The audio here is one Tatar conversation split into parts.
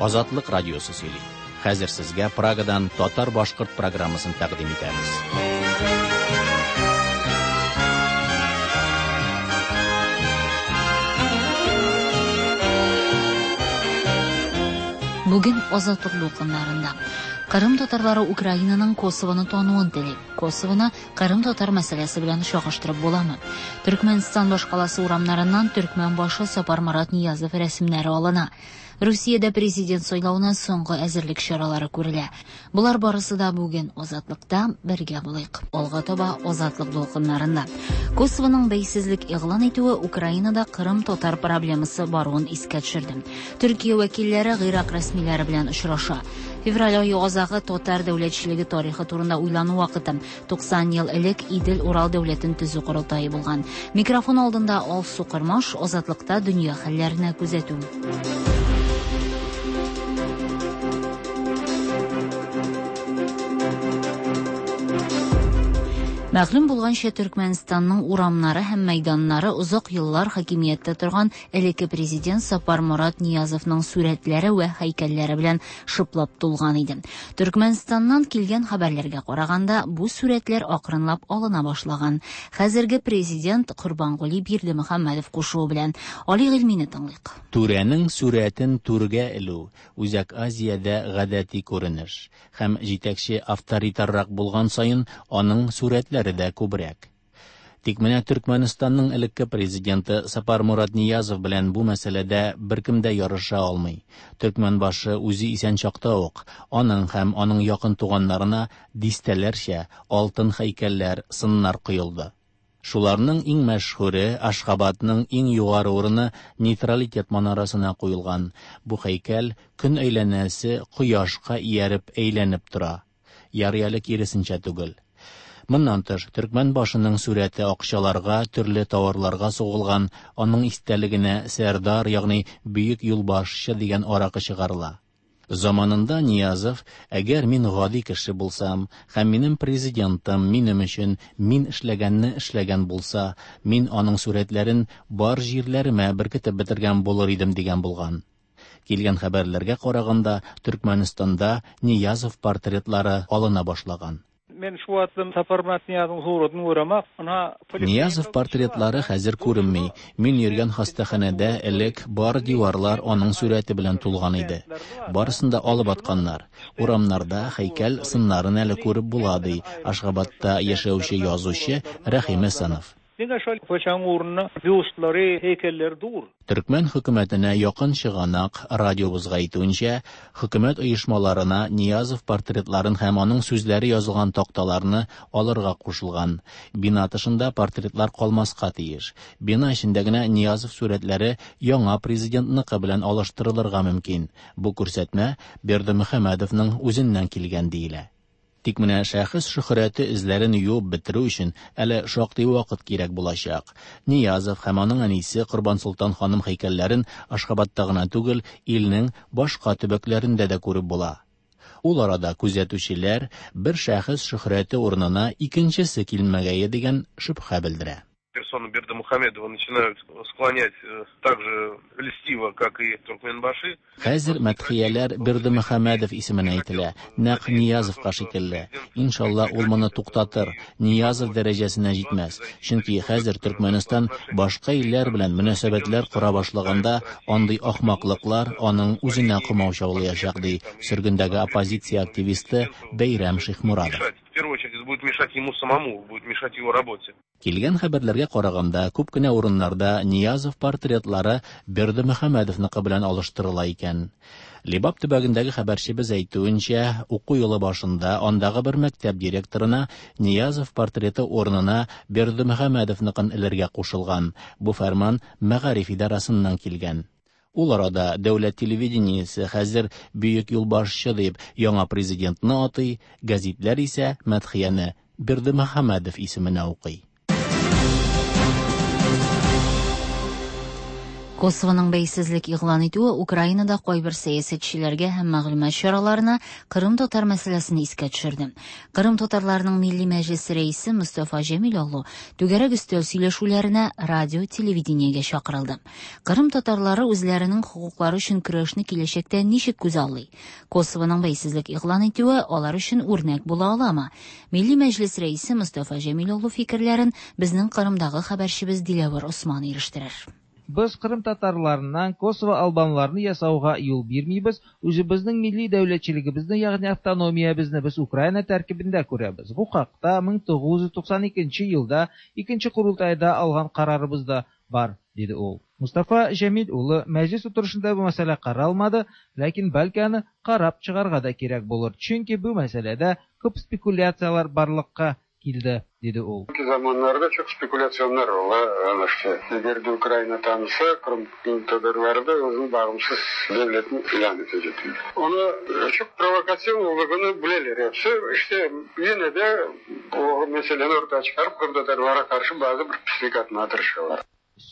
Азатлык радиосы сөйли. Хәзер сезгә Прагадан татар-башкорт программасын тәкъдим итәбез. Бүген Азатлык дулкыннарында. Кырым татарлары Украинаның Косовоны тануын тели. Косовоны Кырым татар мәсьәләсе белән чагыштырып буламы? Төркмәнстан башкаласы урамнарыннан төркмән башы Сапарморат Ниязов рәсемнәре алына. Русиядә президент сайлавына соңгы әзерлек чаралары күрелә. Болар барысы да бүген Азатлыкта бергә булыйк. Алга таба Азатлык дулкыннарында. Косовоның бәйсезлек игълан итүе Украинада Кырым татар проблемасы баруын искә төшерде. Төркия вәкилләре Гыйрак рәсмиләре белән очраша. Февраль ае азагы татар дәүләтчелеге тарихы турында уйлану вакыты. 90 ел элек Идел-Урал дәүләтен төзү корылтае булган. Микрофон алдында Алсу Кормаш, Азатлыкта дөнья хәлләренә күзәтү. Мәгълүм булганча, Төркмәнстанның урамнары һәм мәйданнары озак еллар хакимияттә торган элекке президент Сапарморат Ниязовның сурәтләре вә һәйкәлләре белән шыплап тулган иде. Төркмәнстаннан килгән хәбәрләргә караганда, бу сурәтләр акрынлап алына башлаган. Хәзерге президент Корбангули Бирдемөхәммәдов кушуы белән. Али Гыйльмине тыңлыйк. Түрәнең сурәтен түргә элү Үзәк Азиядә гадәти күренеш. Һәм җитәкче авторитаррак булган саен аның сурәтләре дә күбрәк. Тик менә Төркмәнстанның элекке президенты Сапармурат Ниязов белән бу мәсьәләдә беркем дә ярыша алмый. Төркмәнбашы үзе исән чакта ук аның һәм аның якын туганнарына дистәләрчә алтын һәйкәлләр, сыннар коелды. Шуларның иң мәшһүре Ашхабадның иң югары урыны Нейтралитет манарасына куелган. Бу һәйкәл көн әйләнәсе кояшка ияреп әйләнеп тора. Ярый әле киресенчә түгел. Моннан тыш, төркмән башының сурәте акчаларга, төрле тауарларга сугылган, аның истәлегенә Сәрдар, ягъни бөек юлбашчы дигән аракы чыгарыла. Заманында Ниязов, әгәр мин гади кеше булсам, һәм минем президентым минем өчен мин эшләгәнне эшләгән булса, мин аның сурәтләрен бар җирләремә беркетеп бетергән булыр идем дигән булган. Килгән хәбәрләргә караганда, Төркмәнстанда Ниязов портретлары алына башлаган. Men şu wagtlam Saparmyrat Nyýazowyň suratyny göremak. Ynha, Ниязов портретлары хәзер күренми. Мин йөргән хастаханәдә элек бар диварлар аның сурәте белән тулган иде. Барысын да алып атканнар. Урамнарда һәйкәл сыннарын әле күреп була, ди Ашгабадта яшәүче язучы Рәхим Әсәнов. Diňe şol köçäň ugrunda býustlary, heýkelleri dur. Төркмән хөкүмәтенә якын чыганак радиобызга әйтүенчә, хөкүмәт оешмаларына Ниязов портретларын һәм аның сүзләре язылган такталарны алырга кушылган. Бина тышында портретлар калмаска тиеш. Бина эчендә генә Ниязов сурәтләре яңа президентныкы белән алыштырылырга мөмкин. Бу күрсәтмә Бердымөхәммәдовның үзеннән килгән диелә. Тик менә шәхес шөһрәте эзләрен юып бетерү өчен әле шактый вакыт кирәк булачак. Ниязов һәм аның әнисе Корбансолтан ханым һәйкәлләрен Ашхабадта гына түгел, илнең башка төбәкләрендә дә күреп була. Ул арада күзәтүчеләр бер шәхес шөһрәте урынына икенчесе килмәгәе дигән шөбһә белдерә. Персону Бердымухамедова начинают склонять так же льстиво, как и Туркменбаши. Хәзер мәдхияләр Бердымөхәммәдов исеменә әйтелә, нәкъ Ниязовка шикелле. Иншалла, ул моны туктатыр, Ниязов дәрәҗәсенә җитмәс. Чөнки хәзер Төркмәнстан башка илләр белән мөнәсәбәтләр кора башлаганда, андый ахмаклыклар аның үзенә комаучаулаячак, ди сөргендәге оппозиция активисты Бәйрәм Шихмурадов. В первую очередь, это будет мешать ему самому, будет мешать его работе. Килгән хәбәрләргә караганда, күп кенә урыннарда Ниязов портретлары Бердымөхәммәдовныкы белән алыштырыла икән. Лебап төбәгендәге хәбәрчебез әйтүенчә, уку елы башында андагы бер мәктәп директорына Ниязов портреты урынына Бердымөхәммәдовныкын элергә кушылган. Бу фәрман мәгариф идарасыннан килгән. Ул арада дәүләт телевидениесе хәзер бөек юлбашчы дип яңа президентны атый, гәзитләр исә мәдхияне Бердымөхәммәдов исеменә укый. Косовоның бәйсезлек игълан итүе Украинада кайбер сәясәтчеләргә һәм мәгълүмат чараларына Кырым татар мәсьәләсен искә төшерде. Кырым татарларының Милли мәҗлесе рәисе Мостафа Җәмилоглу түгәрәк өстәл сөйләшүләренә радио, телевидениегә чакырылды. Кырым татарлары үзләренең хокуклары өчен көрәшне киләчәктә ничек күзаллый? Косовоның бәйсезлек игълан итүе алар өчен үрнәк була аламы? Милли мәҗлес рәисе Мостафа Җәмилоглу фикерләрен безнең Кырымдагы хәбәрчебез Диләвер Осман ирештерер. Без Кырым татарларыннан Косово албанларны ясауга юл бирмибез, үзебезнең милли дәүләтчелегебезне, ягъни автономиябезне без Украина тәркибендә күрәбез. Бу хакта 1992 елда икенче корылтайда алган карарыбыз да бар, диде ул. Мустафа Җәмил улы мәҗлес утырышында бу мәсьәлә каралмады, ләкин бәлки аны карап чыгарга да кирәк булыр, чөнки бу мәсьәләдә күп спекуляцияләр барлыкка килде, диде ул. Zamanlarda çok spekülasyonlar ola anlaştı. Eğer de Ukrayna tanısa, Kırım Tatarları da özünün bağımsız devletini ilan edecek. Onu çok provokasyon olduğunu bileler hepsi. İşte yine de o meseleni ortaya çıkarıp Kırım Tatarlara karşı bazı bir pislik atmaya tırışıyorlar.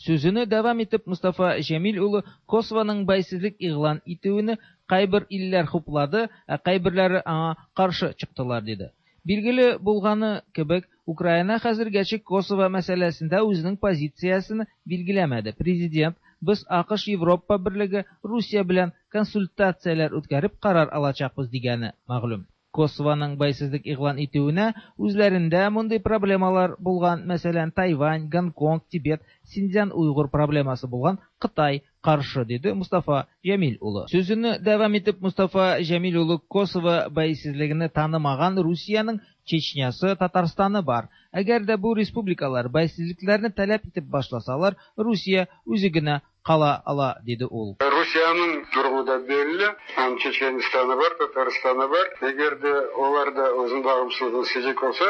Сүзене дәвам итеп Мустафа Җәмил улы Косованың бәйсезлек игълан итүен кайбер илләр хуплады, ә кайберләре аңа каршы чыктылар, диде. Билгеле булганы кебек, Украина хәзергәчә Косово мәсьәләсендә үзенең позициясен билгеләмәде. Президент без АКШ, Европа берлеге, Русия белән консультацияләр үткәреп карар алачакбыз дигәне мәгълүм. Косованың бәйсезлек игълан итүенә үзләрендә мондый проблемалар булган, мәсәлән, Тайвань, Гонконг, Тибет, Синьцзян уйгыр проблемасы булган Кытай каршы, диде Мустафа Җәмил улы. Сүзен дәвам итеп Мустафа Җәмил улы Косово бәйсезлеген танымаган Русиянең Чечнясы, Татарстаны бар. Әгәр дә бу республикалар бәйсезлекләрне таләп итеп башласалар, Русия үзе генә кала ала, диде ул. Русиянең durumu da belli. Hem Çeçenistanı var, Tataristanı var. Eğer de onlar da özün bağımsızlığını isteyecek olsa,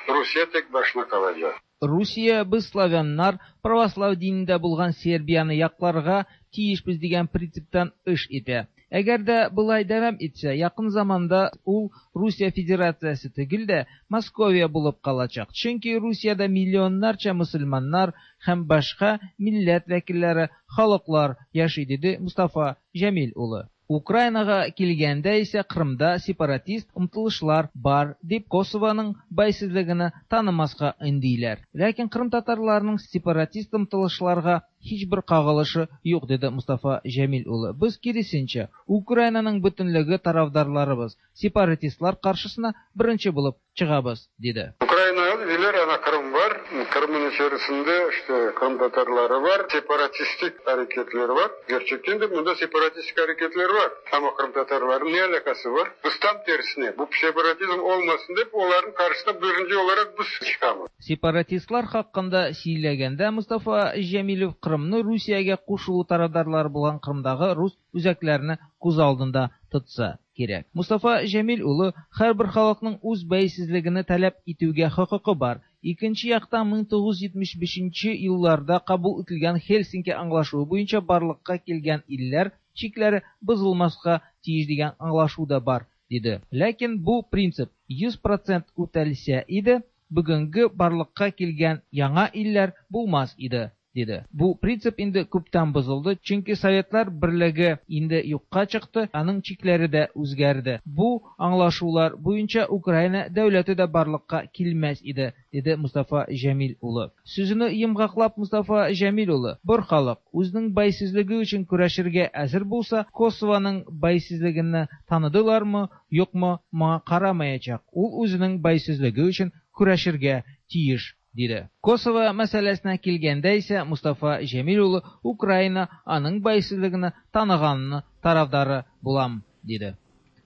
Rusya tek başına kalacak. Русия без славяннар православ динендә булган Сербияны якларга тиешбез дигән принциптан эш итә. Әгәр дә болай дәвам итсә, якын заманда ул Русия Федерациясе түгел дә Московия булып калачак. Чөнки Русиядә миллионнарча мөселманнар һәм башка милләт вәкилләре, халыклар яши, диде Мустафа Җәмил улы. Украинага килгәндә исә Кырымда сепаратист омтылышлар бар дип Косованың бәйсезлеген танымаска өндиләр. Ләкин Кырым татарларының сепаратист омтылышларга һичбер кагылышы юк, диде Мустафа Җәмил улы. Без киресенчә Украинаның бөтенлеге тарафдарларыбыз, сепаратистлар каршысына беренче булып чыгабыз, диде. Украина диләр, ана Кырым бар. Кырымның içerisinde işte Kırım Tatarları var, separatistik hareketler var. Gerçekten de bunda separatistik hareketler var. Ama Kırım Tatarlarının ne alakası var? Biz tam tersine, bu separatizm olmasın deyip onların karşısına birinci olarak biz çıkamız. Сепаратистлар хакында сөйләгәндә Мустафа Җәмилев Кырымны Русиягә кушылу тарафдарлары булган Кырымдагы рус үзәкләрне күз алдында тотса кирәк. Мустафа Җәмил улы һәрбер халыкның үз бәйсезлегене таләп итүгә хокукы бар. Икенче яктан 1975 елларда кабул ителгән Хельсинки аңлашуы буенча барлыкка килгән илләр чикләре бозылмаска тиеш дигән аңлашу да бар, диде. Ләкин бу принцип 100% үтәлсә иде, бүгенге барлыкка килгән яңа илләр булмас иде, диде. Бу принцип инде күптән бозылды, чөнки Советлар берлеге инде юкка чыкты, аның чикләре дә үзгәрде. Бу аңлашулар буенча Украина дәүләте дә барлыкка килмәс иде, диде Мустафа Җәмил улы. Сүзен йомгаклап Мустафа Җәмил улы, бер халык үзенең бәйсезлеге өчен көрәшергә әзер булса, Косованың бәйсезлеген таныдылармы, юкмы, моңа карамаячак. Ул үзенең бәйсезлеге өчен көрәшергә тиеш, диде. Косово мәсьәләсенә килгәндә исә Мустафа Җәмил улы Украина аның бәйсезлеген таныганны тарафдары булам, диде.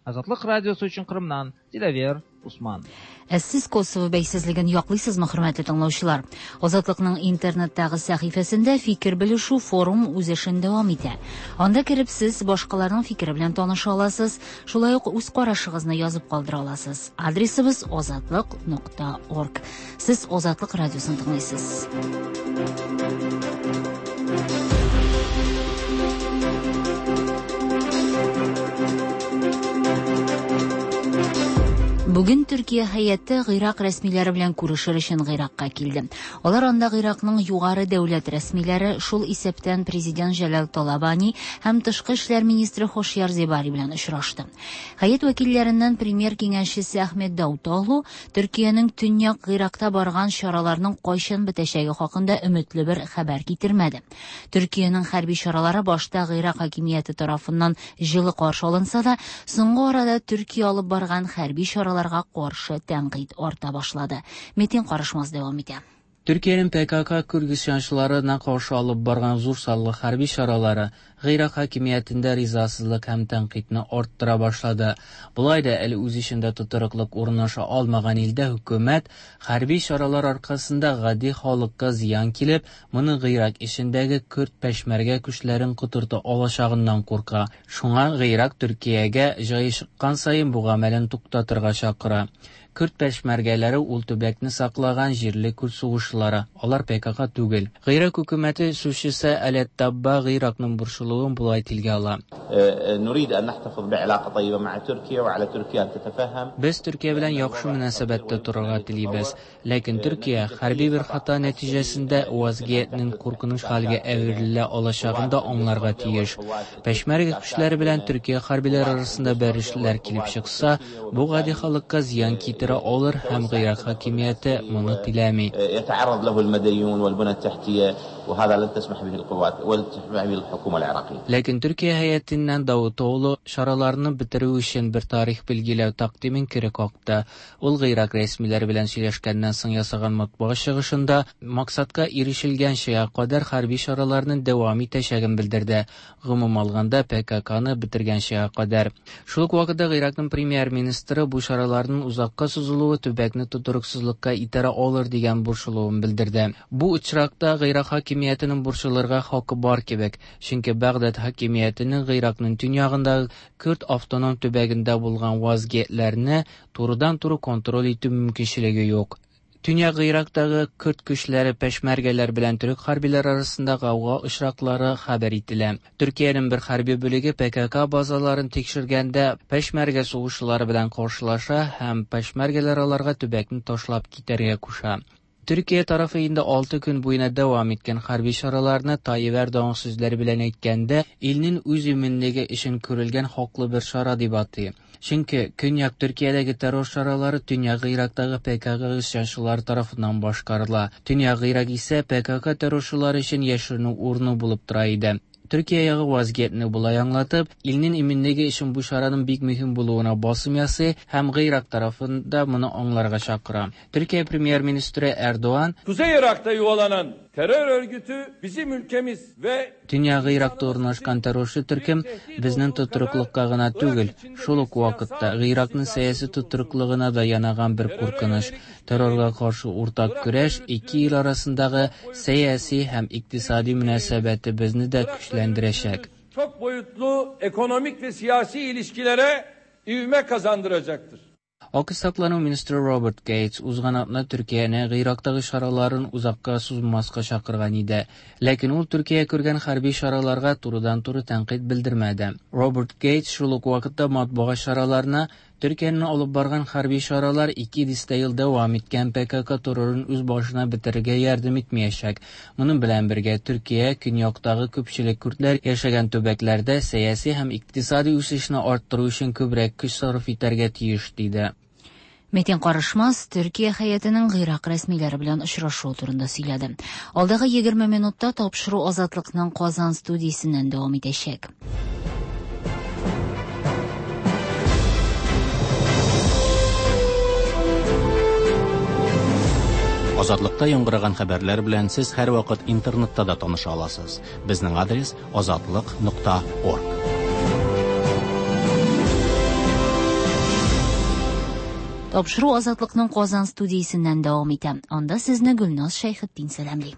Азатлык радиосы өчен Кырымнан Диләвер Усман. Ә сез Косово бәйсезлеген яклыйсызмы, хөрмәтле тыңлаучылар? Азатлыкның интернеттагы сәхифәсендә фикер белешү форум үз эшен дәвам итә. Анда кереп сез башкаларның фикере белән таныша аласыз, шулай ук үз карашыгызны язып калдыра аласыз. Адресыбыз azatliq.org. Сез Азатлык радиосын тыңлыйсыз. Бүген Төркия һәйәте Гыйрак рәсмиләре белән күрешер өчен Гыйракка килде. Алар анда Гыйракның югары дәүләт рәсмиләре, шул исәптән президент Җәлал Талабани һәм тышкы эшләр министры Хошьяр Зебари белән очрашты. Һәйәт вәкилләреннән премьер киңәшчесе Әхмәт Даутоглу Төркиянең Төньяк Гыйракта барган чараларның кайчан бетәчәге хакында өметле бер хәбәр китермәде. Төркиянең хәрби чаралары башта Гыйрак хакимияте тарафыннан җылы каршы алынса да, соңгы арада Төркия алып барган хәрби чараларга каршы тәнкыйть арта башлады. Метин Карышмаз дәвам итә. Төркиянең ПКК күрд isyançılarına каршы алып барган зур санлы хәрби чаралары Гыйрак хакимиятендә ризасызлык һәм тәнкыйтьне арттыра башлады. Болай да әле үз эчендә тотрыклык урнаша алмаган илдә хөкүмәт хәрби чаралар аркасында гади халыкка зыян килеп, моны Гыйрак эчендәге көрд пешмәргә көчләрен котырта алачагыннан курка. Шуңа Гыйрак Төркиягә җае чыккан саен бу гамәлен туктатырга чакыра. Көрд пешмәргәләре ул төбәкне саклаган җирле көрд сугышчылары, алар ПКК түгел. Гыйрак хөкүмәте сүзчесе Алет Табба Гыйракның борчылуын болай телгә ала. نريد أن نحتفظ بعلاقة طيبة مع تركيا وعلى تركيا أن تتفهم. Без Төркия белән яхшы мөнәсәбәттә торырга телибез. Ләкин Төркия хәрби бер хата нәтиҗәсендә вазгыятьнең куркыныч хәлгә әверелә алачагын да аңларга тиеш. Пешмәргә көчләре белән Төркия хәрбиләре арасында бәрелешләр килеп чыкса, бу гади халыкка зыян китерә алыр һәм Гыйрак хакимияте моны теләми. يتعرض له المدنيون والبنى التحتية وهذا لن تسمح به القوات ولن تسمح به الحكومة العراقية. Ләкин Төркия һәйәтеннән Давутоğlu чараларны бетерү өчен бер тарих билгеләү тәкъдимен кире какты. Ул Гыйрак рәсмиләре белән сөйләшкәннән соң ясаган матбугат чыгышында максатка ирешелгәнчә кадәр хәрби чараларны дәвам итәчәген белдерде. Гомум алганда ПККны бетергәнчә кадәр. Шул ук вакытта Гыйракның премьер-министры бу чараларның узакка сузылуы төбәкне тотрыксызлыкка итәрә алыр дигән борчылуын белдерде. Бу очракта Гыйрак хакимиятенең борчылырга хакы бар кебек, чөнки Багдад хакимиятенең Гыйракның төньягындагы көрд автоном төбәгендә булган вазгыятьләрне турыдан-туры контроль итү мөмкинчелеге юк. Төньяк Гыйрактагы көрд көчләре пешмәргәләр белән төрек хәрбиләр арасында гауга очраклары хәбәр ителә. Төркиянең бер хәрби бүлеге ПКК базаларын тикшергәндә пешмәргә сугышчылары белән каршылаша һәм пешмәргәләр аларга төбәкне ташлап китәргә куша. Төркия тарафы инде 6 көн буена дәвам иткән хәрби чараларны Tayyip Erdoğan сүзләре белән әйткәндә, илнең үз иминлеге өчен күрелгән хаклы бер чара дип атый. Чөнки Көньяк Төркиядәге террор чаралары Төньяк Гыйрактагы ПКК isyançıları тарафыннан башкарыла. Төньяк Гыйрак исә ПКК террорчылары өчен яшеренү урыны булып тора иде. Төркия ягы вазгыятьне болай аңлатып, илнең иминлеге өчен бу чараның бик мөһим булуына басым ясый һәм Гыйрак тарафында моны аңларга чакыра. Төркия премьер-министры Эрдоган Kuzey Irak'ta yuvalanan terör örgütü bizim ülkemiz ve Төньяк Гыйракта урнашкан террорчы төркем безнең тотрыклыкка гына түгел, шул ук вакытта Гыйракның сәяси тотрыклыгына да янаган бер куркыныч. Террорга каршы уртак көрәш ике ил арасындагы сәяси һәм икътисади мөнәсәбәтебезне дә көчләндерәчәк. Çok boyutlu ekonomik ve siyasi ilişkilere ivme kazandıracaktır. Акш саклану министры Роберт Гейтс узган атна Төркияне Гыйрактагы чараларын узакка сузмаска чакырган иде. Ләкин ул Төркия күргән хәрби чараларга турыдан-туры тәнкыйть белдермәде. Роберт Гейтс шул ук вакытта матбугат чараларына Төркиянең алып барган хәрби чаралар 2 дистә ел дәвам иткән ПКК террорын үз башына бетерергә ярдәм итмәячәк. Моның белән бергә Төркия көньяктагы күпчелек күрдләр яшәгән төбәкләрдә сәяси һәм икътисади үсешне арттыру өчен күбрәк көч сарыф итәргә тиеш, диде. Метин Карышмаз Төркия һәйәтенең Гыйрак рәсмиләре белән очрашуы турында сөйләде. Алдагы 20 минутта тапшыру Азатлыкның Казан студиясеннән дәвам итәчәк. Азатлыкта яңгыраган хәбәрләр белән сез һәрвакыт интернетта да таныша аласыз. Безнең адрес azatliq.org. Тапшыру Азатлыкның Казан студиясеннән дәвам итә. Анда сезне Гөлназ Шәйхетдин сәламли.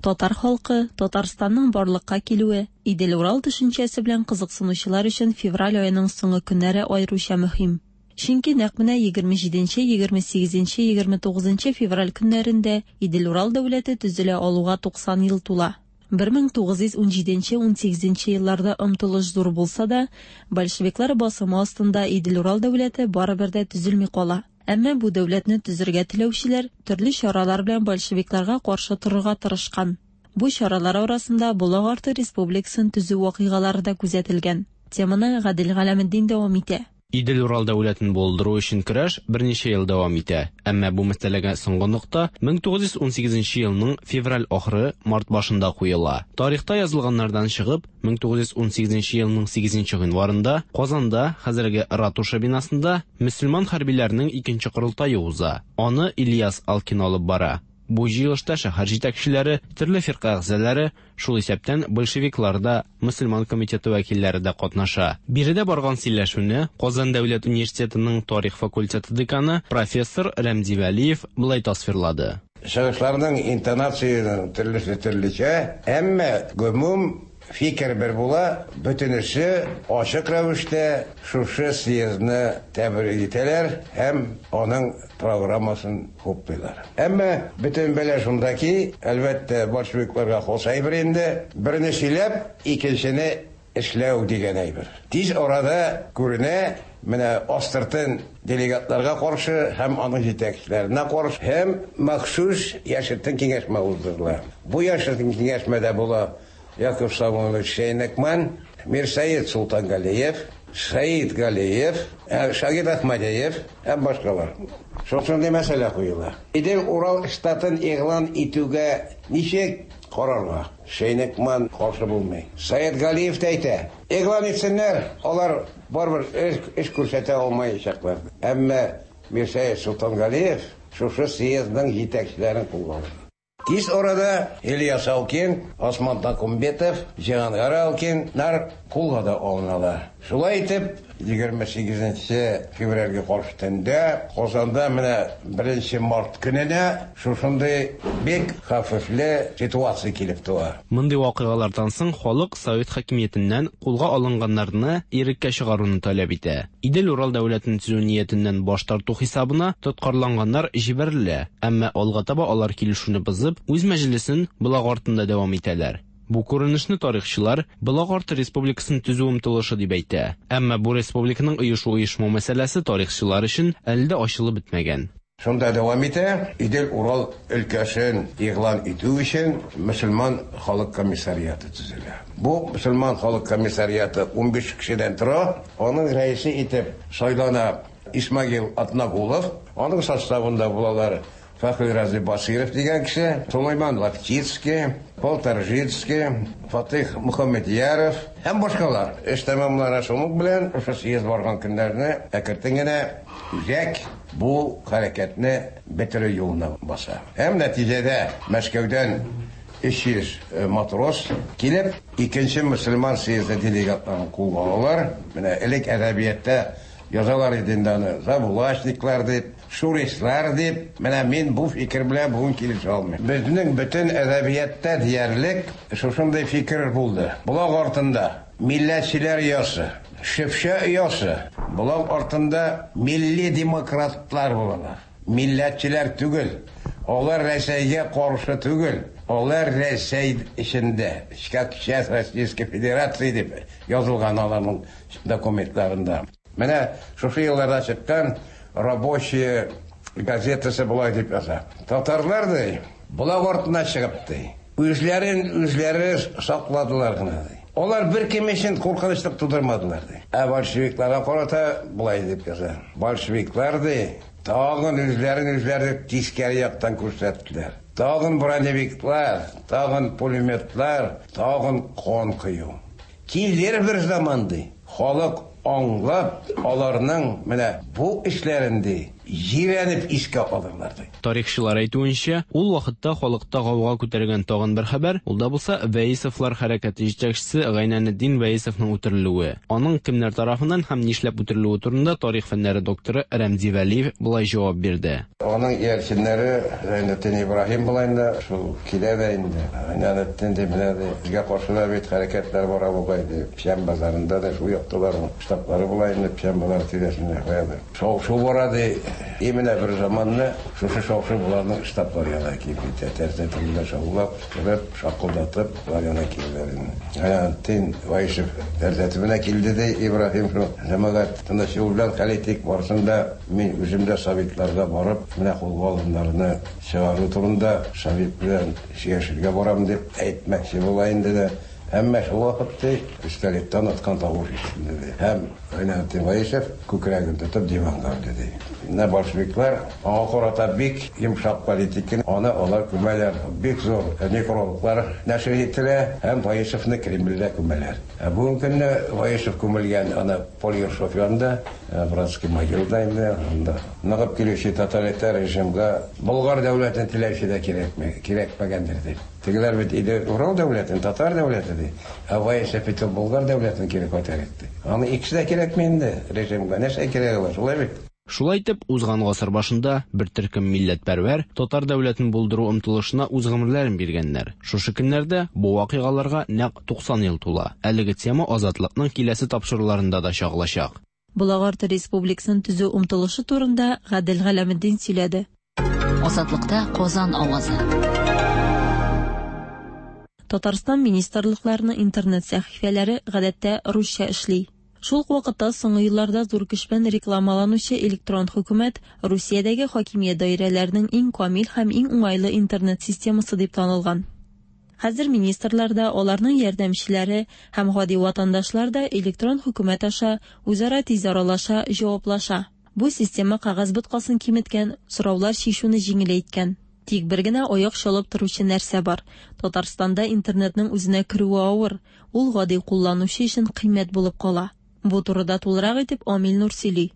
Татар халкы, Татарстанның барлыкка килүе, Идел-Урал төшенчәсе белән кызыксынучылар өчен февраль аеның соңгы көннәре аеруча мөһим. Чөнки нәкъ менә 27, 28, 29 февраль көннәрендә Идел-Урал дәүләте төзелә алуга 90 ел тула. 1917-18 елларда омтылыш зур булса да, большевиклар басымы астында Идел-Урал дәүләте барыбер дә төзелми кала. Әмма бу дәүләтне төзергә теләүчеләр төрле чаралар белән большевикларга каршы торырга тырышкан. Бу чаралар арасында Болак арты республикасын төзү вакыйгалары да күзәтелгән. Теманы Гадел Галәметдин дәвам итә. Идел-Урал дәүләтен булдыру өчен көрәш берничә ел дәвам итә, әмма бу мәсьәләгә соңгы нокта 1918 елның февраль ахыры, март башында куела. Тарихта язылганнардан чыгып, 1918 елның 8 гыйнварында Казанда, хәзерге Ратуша бинасында, мөселман хәрбиләренең икенче корылтае уза. Аны Ильяс Алкин алып бара. Бу җыелышта шәһәр җитәкчеләре, төрле фирка әгъзалары, шул исәптән большевиклар да, мөселман комитеты вәкилләре дә катнаша. Биредә барган сөйләшүне Казан дәүләт университетының тарих факультеты деканы профессор Рәмзи Вәлиев болай тасвирлады. Чыгышларның интонациясенең төрлесе төрлечә, әмма гомум фикер бер була, бөтенесе ачык рәвештә шушы съездны тәбрик итәләр һәм аның программасын хуплыйлар. Әмма бөтен бәла шунда ки, әлбәттә, большевикларга хас әйбер инде, берне сөйләп, икенчене эшләү дигән әйбер. Тиз арада күренә, менә астыртын делегатларга каршы һәм аның җитәкчеләренә каршы һәм махсус яшертен киңәшмә уздырыла. Бу яшертен киңәшмәдә була Яков Самойлович Шейнекман, Мирсаид Султангалиев, Саид Галиев, Шагид Ахмадиев һәм башкалар. Шушындый мәсьәлә куела. Идел-Урал штатын игълан итүгә ничек карарга? Шейнекман каршы булмый. Саид Галиев тә әйтә, игълан итсеннәр, алар барыбер эш күрсәтә алмаячаклар. Әмма Мирсаид Султангалиев шушы съездның җитәкчеләрен кулга алды. Тиз арада Ильяс Алкин, Осман Такумбетов, Җиһангар Алкиннар кулга да алыналар. Шулай итеп, 28 февральгә каршы төндә Казанда менә 1 март көненә шушындый бик хәвефле ситуация килеп туа. Мондый вакыйгалардан соң халык совет хакимиятеннән кулга алынганнарны иреккә чыгаруны таләп итә. Идел-Урал дәүләтен төзү ниятеннән баш тарту хисабына тоткарланганнар җибәрелә, әмма алга таба алар килешүне бозып, үз мәҗлесен Болак артында дәвам итәләр. Бу күренешне тарихчылар Болак арты республикасын төзү омтылышы дип әйтә. Әмма бу республиканың оешу-оешмау мәсьәләсе тарихчылар өчен әле дә ачылып бетмәгән. Шунда дәвам итә, Идел-Урал өлкәсен игълан итү өчен мөселман халык комиссариаты төзелә. Бу мөселман халык комиссариаты 15 кешедән тора. Аның рәисе итеп сайлана Исмагил Атнагулов. Аның составында булалар Фәхри Рази Басиров дигән кеше, Сулайман Лаптицкий, Полторжицкий, Фатих Мөхәммәдьяров һәм башкалар. Эш тәмамлана шуның белән, шушы съезд барган көннәрне әкертен генә үзәк бу хәрәкәтне бетерү юлына баса. Һәм нәтиҗәдә Мәскәүдән 300 матрос килеп, икенче мөселман съезды делегатларын кулга алалар. Менә элек әдәбиятта язалар иде инде аны, забулачниклар дип, шуристлар дип. Менә мин бу фикер белән бүген килешә алмыйм. Безнең бөтен әдәбиятта диярлек шушындый фикер булды. Болак артында милләтчеләр оясы, Шөпшә оясы, болак артында милли демократлар булалар. Милләтчеләр түгел, алар Рәсәйгә каршы түгел, алар Рәсәй эчендә, как часть Российской Федерации дип язылган аларның документларында. Менә шушы елларда чыккан Рабочая газетасы болай дип яза. Татарлар ди, болак артына чыгып ди, үзләрен үзләре сакладылар гына ди. Алар бер кем өчен куркынычлык тудырмадылар ди. Ә большевикларга карата болай дип яза. Большевиклар ди, тагын үзләрен үзләре тискәре яктан күрсәттеләр. Тагын броневиклар, тагын пулеметлар, тагын кан кою. Килер бер заман ди, халык аңлап, аларның менә бу эшләрен ди, җирәнеп искә алырлар ди. Тарихчылар әйтүенчә, ул вакытта халыкта гауга күтәргән тагын бер хәбәр, ул да булса Вәисовлар хәрәкәте җитәкчесе Гайнанетдин Вәисовның үтерелүе. Аның кемнәр тарафыннан һәм нишләп үтерелүе турында тарих фәннәре докторы Рәмзи Вәлиев болай җавап бирде. Аның иярченнәре Гайнетдин Ибраһим була инде, шул килә дә инде. Гайнанетдин дип менә ди, безгә каршы да бит хәрәкәтләр бара бугай ди. Печән базарында да шул якталар штаблары була инде, Печән базары тирәсендә каядыр. Шау-шу бара ди. И менә бер заманны шушы шау-шу боларның штаблар янына килеп җитә. Тәрәзә төбендә шаулап, кычкырып, шакылдатып, болар янына киләләр инде. Гайнетдин Ваишев тәрәзә төбенә килде, ди Ибраһим шул. Җәмәгать, тыныч юл белән хәл итик, барысын да мин үзем дә советларга барып, менә кулга алыннарны чыгару турында совет белән сөйләшергә барам дип әйтмәкче була инде дә. Әмма шул вакыт, ди, пистолеттан аткан тавыш ишетелде, ди. Һәм Гайнетдин Ваишев күкрәген тотып диванга үлде, ди. Менә большевиклар аңа карата бик йомшак политика, аны алар күмәләр, бик зур некрологлар нәшер ителә һәм Ваишевны Кремльдә күмәләр. Ә бүгенге көнне Ваишев күмелгән аны Поль Ершов янында, братский могилада инде, анда. Ныгып килүче тоталитар режимга Болгар дәүләтен теләүче дә кирәкми, кирәкмәгәндер дип. Тегеләр бит иде Урал дәүләтен, татар дәүләте ди. Ә Ваишев бит ул Болгар дәүләтен кире кайтарыйк ди. Аны икесе дә кирәкми инде режимга. Нәрсә кирәге бар, шулай бит? Шулай итеп, узган гасыр башында бер төркем милләтпәрвәр татар дәүләтен булдыру омтылышына үз гомерләрен биргәннәр. Шушы көннәрдә бу вакыйгаларга нәкъ 90 ел тула. Әлеге тема Азатлыкның киләсе тапшыруларында да чагылачак. Болак Республикасын төзү омтылышы турында Гадел Галәметдин сөйләде. Азатлыкта Казан авазы. Татарстан министрлыкларының интернет сәхифәләре гадәттә русча эшли. Шул ук вакытта соңгы елларда зур көч белән рекламаланучы электрон хөкүмәт Русиядәге хакимият даирәләренең иң камил һәм иң уңайлы интернет системасы дип танылган. Хәзер министрлар да, аларның ярдәмчеләре һәм гади ватандашлар да электрон хөкүмәт аша үзара тиз аралаша, җаваплаша. Бу система кәгазь боткасын киметкән, сораулар чишүне җиңеләйткән. Тик бер генә аяк чалып торучы нәрсә бар, Татарстанда интернетның үзенә керүе авыр, ул гади кулланучы өчен кыйммәт булып кала. Бу турыда тулырак итеп Амил Нур сөйли.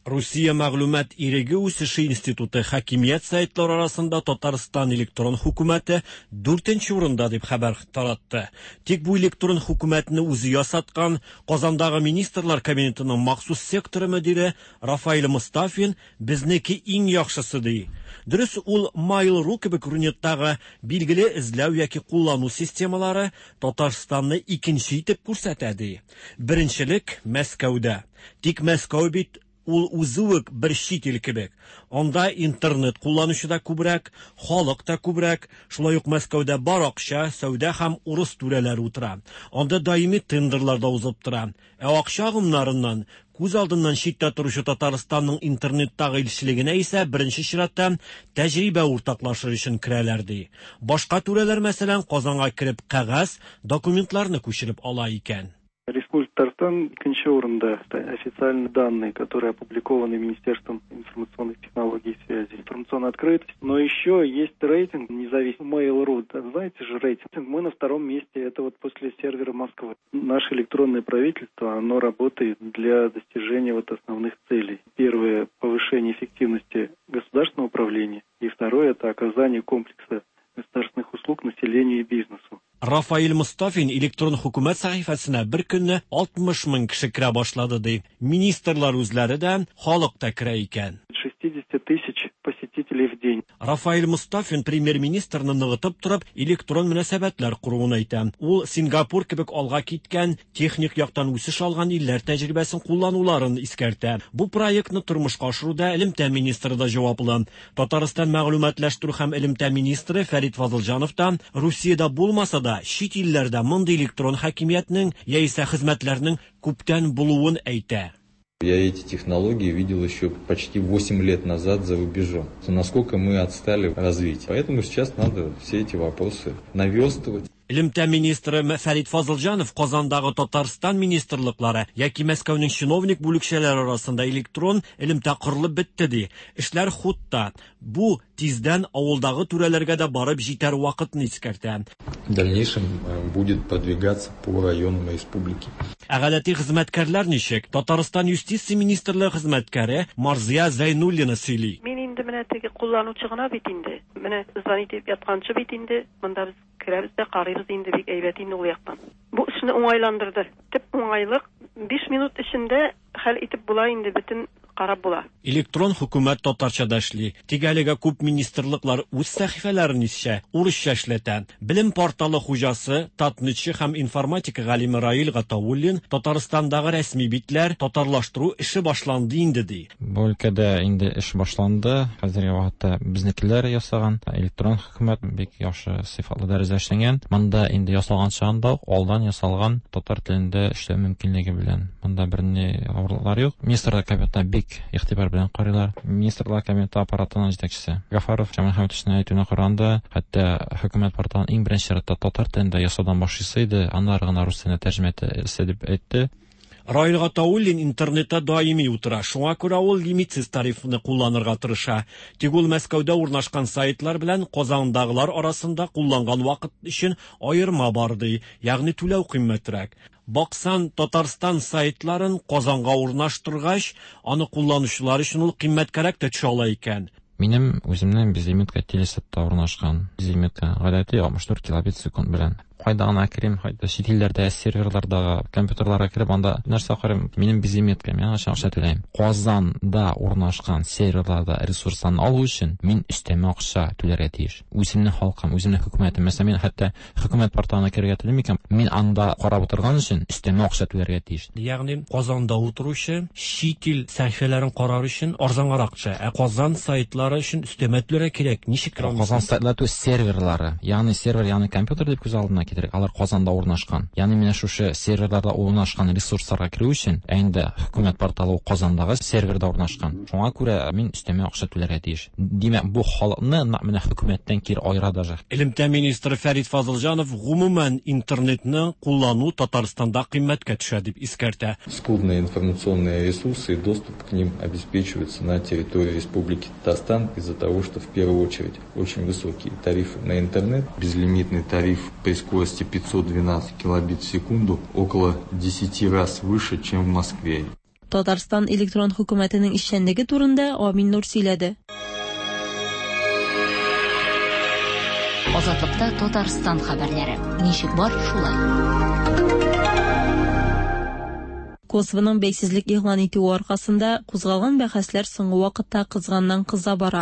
Русия мәгълүмат иреге үсеше институты хакимият сайтлары арасында Татарстан электрон хөкүмәте дүртенче урында дип хәбәр таратты. Тик бу электрон хөкүмәтне үзе ясаткан Казандагы министрлар кабинетының махсус секторы мөдире Рафаэль Мостафин безнеке иң яхшысы ди. Дөрес, ул Mail.ru кебек Рунеттагы билгеле эзләү яки куллану системалары Татарстанны икенче итеп күрсәтә ди. Беренчелек Мәскәүдә. Тик Мәскәү бит ул үзе үк бер чит ил кебек. Анда интернет кулланучы да күбрәк, халык та күбрәк, шулай ук Мәскәүдә бар акча, сәүдә һәм урыс түрәләре утыра. Анда даими тендерлар да узып тора. Ә акча агымнарыннан күз алдыннан читтә торучы Татарстанның интернеттагы илчелегенә исә беренче чиратта тәҗрибә уртаклашыр өчен керәләр ди. Башка түрәләр, мәсәлән, Казанга кереп кәгазь, документларны күчереп ала икән. Республика Татарстан икенче урында. Официальные данные, которые опубликованы Министерством информационных технологий и связи. Информационная открытость. Но еще есть рейтинг независимый Mail.ru. Да, знаете же рейтинг. Мы на втором месте. Это вот после сервера Москвы. Наше электронное правительство, оно работает для достижения вот основных целей. Первое – повышение эффективности государственного управления. И второе – это оказание комплекса государственных услуг населению и бизнесу. Рафаэль Мостафин электрон хөкүмәт сәхифәсенә бер көнне 60 мең кеше керә башлады ди. Министрлар үзләре дә, халык та керә икән. 60 тысяч посетителей в день. Рафаэль Мостафин премьер-министрны ныгытып торып, электрон мөнәсәбәтләр коруын әйтә. Ул Сингапур кебек алга киткән, техник яктан үсеш алган илләр тәҗрибәсен куллануларын искәртә. Бу проектны тормышка ашыруда элемтә министры да җаваплы. Татарстан мәгълүматлаштыру һәм элемтә министры Фәрит Фазылҗанов та Русиядә булмаса да, чит илләрдә мондый электрон хакимиятнең яисә хезмәтләрнең күптән булуын әйтә. Я эти технологии видел еще почти 8 лет назад за рубежом. Насколько мы отстали в развитии. Поэтому сейчас надо все эти вопросы наверстывать. Элемтә министры Фәрит Фазылҗанов Казандагы Татарстан министрлыклары яки Мәскәүнең чиновник бүлекчәләре арасында электрон элемтә корылып бетте ди. Эшләр хутта. Бу тиздән авылдагы түрәләргә дә барып җитәр вакытны искәртә. В дальнейшем будет продвигаться по районам республики. Ә гадәти хезмәткәрләр ничек? Татарстан юстиция министрлыгы хезмәткәре Марзия Зәйнуллина сөйли. Мин инде менә теге кулланучы гына бит инде. Менә звонить итеп ятканчы бит инде. Монда без керәбез дә карыйбыз инде, бик әйбәт инде ул яктан. Бу эшне уңайландырды. Төп уңайлык 5 минут эчендә хәл итеп була инде бөтен карап була. Электрон хөкүмәт татарча да эшли. Тик әлегә күп министрлыклар үз сәхифәләрен исә урысча эшләтә. Белем порталы хуҗасы, татнетчы һәм информатика галиме Раил Гатауллин Татарстандагы рәсми битләр татарлаштыру эше башланды инде ди. Бу өлкәдә инде эш башланды. Хәзерге вакытта безнекеләр ясаган электрон хөкүмәт бик яхшы сыйфатлы дәрәҗәдә эшләнгән. Монда инде ясалган чагында ук алдан ясалган татар телендә эшләү мөмкинлеге белән. Монда берни авырлыклар юк. Министрлар Кабинетына бик игътибар белән карыйлар. Министрлар Кабинеты аппаратының җитәкчесе Гафаров Шамил Хәмитовичның әйтүенә караганда, хәтта хөкүмәт порталын иң беренче чиратта татар телендә ясаудан башлыйсы иде, аннары гына рус теленә тәрҗемә итәсе дип әйтте. Раил Гатауллин интернетта даими утыра, шуңа күрә ул лимитсыз тарифны кулланырга тырыша. Тик ул Мәскәүдә урнашкан сайтлар белән Казандагылар арасында кулланган вакыт өчен аерма бар ди, ягъни түләү кыйммәтрәк. Баксан, Татарстан сайтларын Казанга урнаштыргач, аны кулланучылар өчен ул кыйммәткәрәк тә төшә ала икән. Минем үземнең безлимитка телесетта урнашкан. Безлимитка гадәти 64 килобит секунд белән. Кайда гына керим, кайда чит илләрдә серверлардагы компьютерларга кереп, анда нәрсә карыйм, минем безлимитка, мин аның өчен акча түләйм. Казанда урнашкан серверларда ресурсларны алу өчен мин өстәмә акча түләргә тиеш. Үземнең халкым, үземнең хөкүмәтем. Мәсәлән, мин хәтта хөкүмәт порталына керергә телим икән, мин анда карап утырган өчен өстәмә акча түләргә тиеш. Ягъни Казанда утыручы чит ил сәхифәләрен карар өчен арзангарак төшә, ә Казан сайтлары өчен өстәмә түләргә кирәк. Ничек керә Казан сайтлары түгел, серверлары. Ягъни сервер, ягъни компьютер дип күз алдына китерик, алар Казанда урнашкан. Ягъни менә шушы серверларда урнашкан ресурсларга керү өчен, ә инде хөкүмәт порталы ул Казандагы серверда урнашкан. Шуңа күрә мин өстәмә акча түләргә тиеш. Димәк, бу халыкны нәкъ менә хөкүмәттән кире аера даже. Элемтә министры Фәрит Фазылҗанов гомумән интернетны куллану Татарстанда кыйммәткә төшә дип искәртә. Скудные информационные ресурсы и доступ к ним обеспечиваются на территории Республики Татарстан из-за того, что в первую очередь очень высокие тарифы на интернет, безлимитный тариф при скорости 512 килобит в секунду около 10 раз выше, чем в Москве. Татарстан электрон хөкүмәтенең эшчәнлеге турында Амин Нур сөйләде. Азатлыкта Татарстан хәбәрләре. Ничек бар, шулай. Косовоның бәйсезлек игълан итүе аркасында кузгалган бәхәсләр соңгы вакытта кызганнан-кыза бара.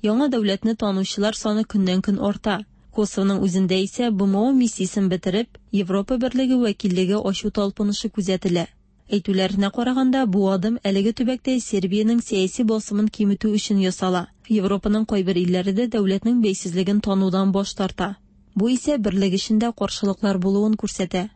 Яңа дәүләтне танучылар саны көннән-көн арта. Косовоның үзендә исә БМО миссиясен бетереп, Европа Берлеге вәкиллеге ачу талпынышы күзәтелә. Әйтүләренә караганда, бу адым әлеге төбәктә Сербиянең сәяси басымын киметү өчен ясала. Европаның кайбер илләре дә дәүләтнең бәйсезлеген танудан баш тарта. Бу исә берлек эчендә каршылыклар булуын күрсәтә.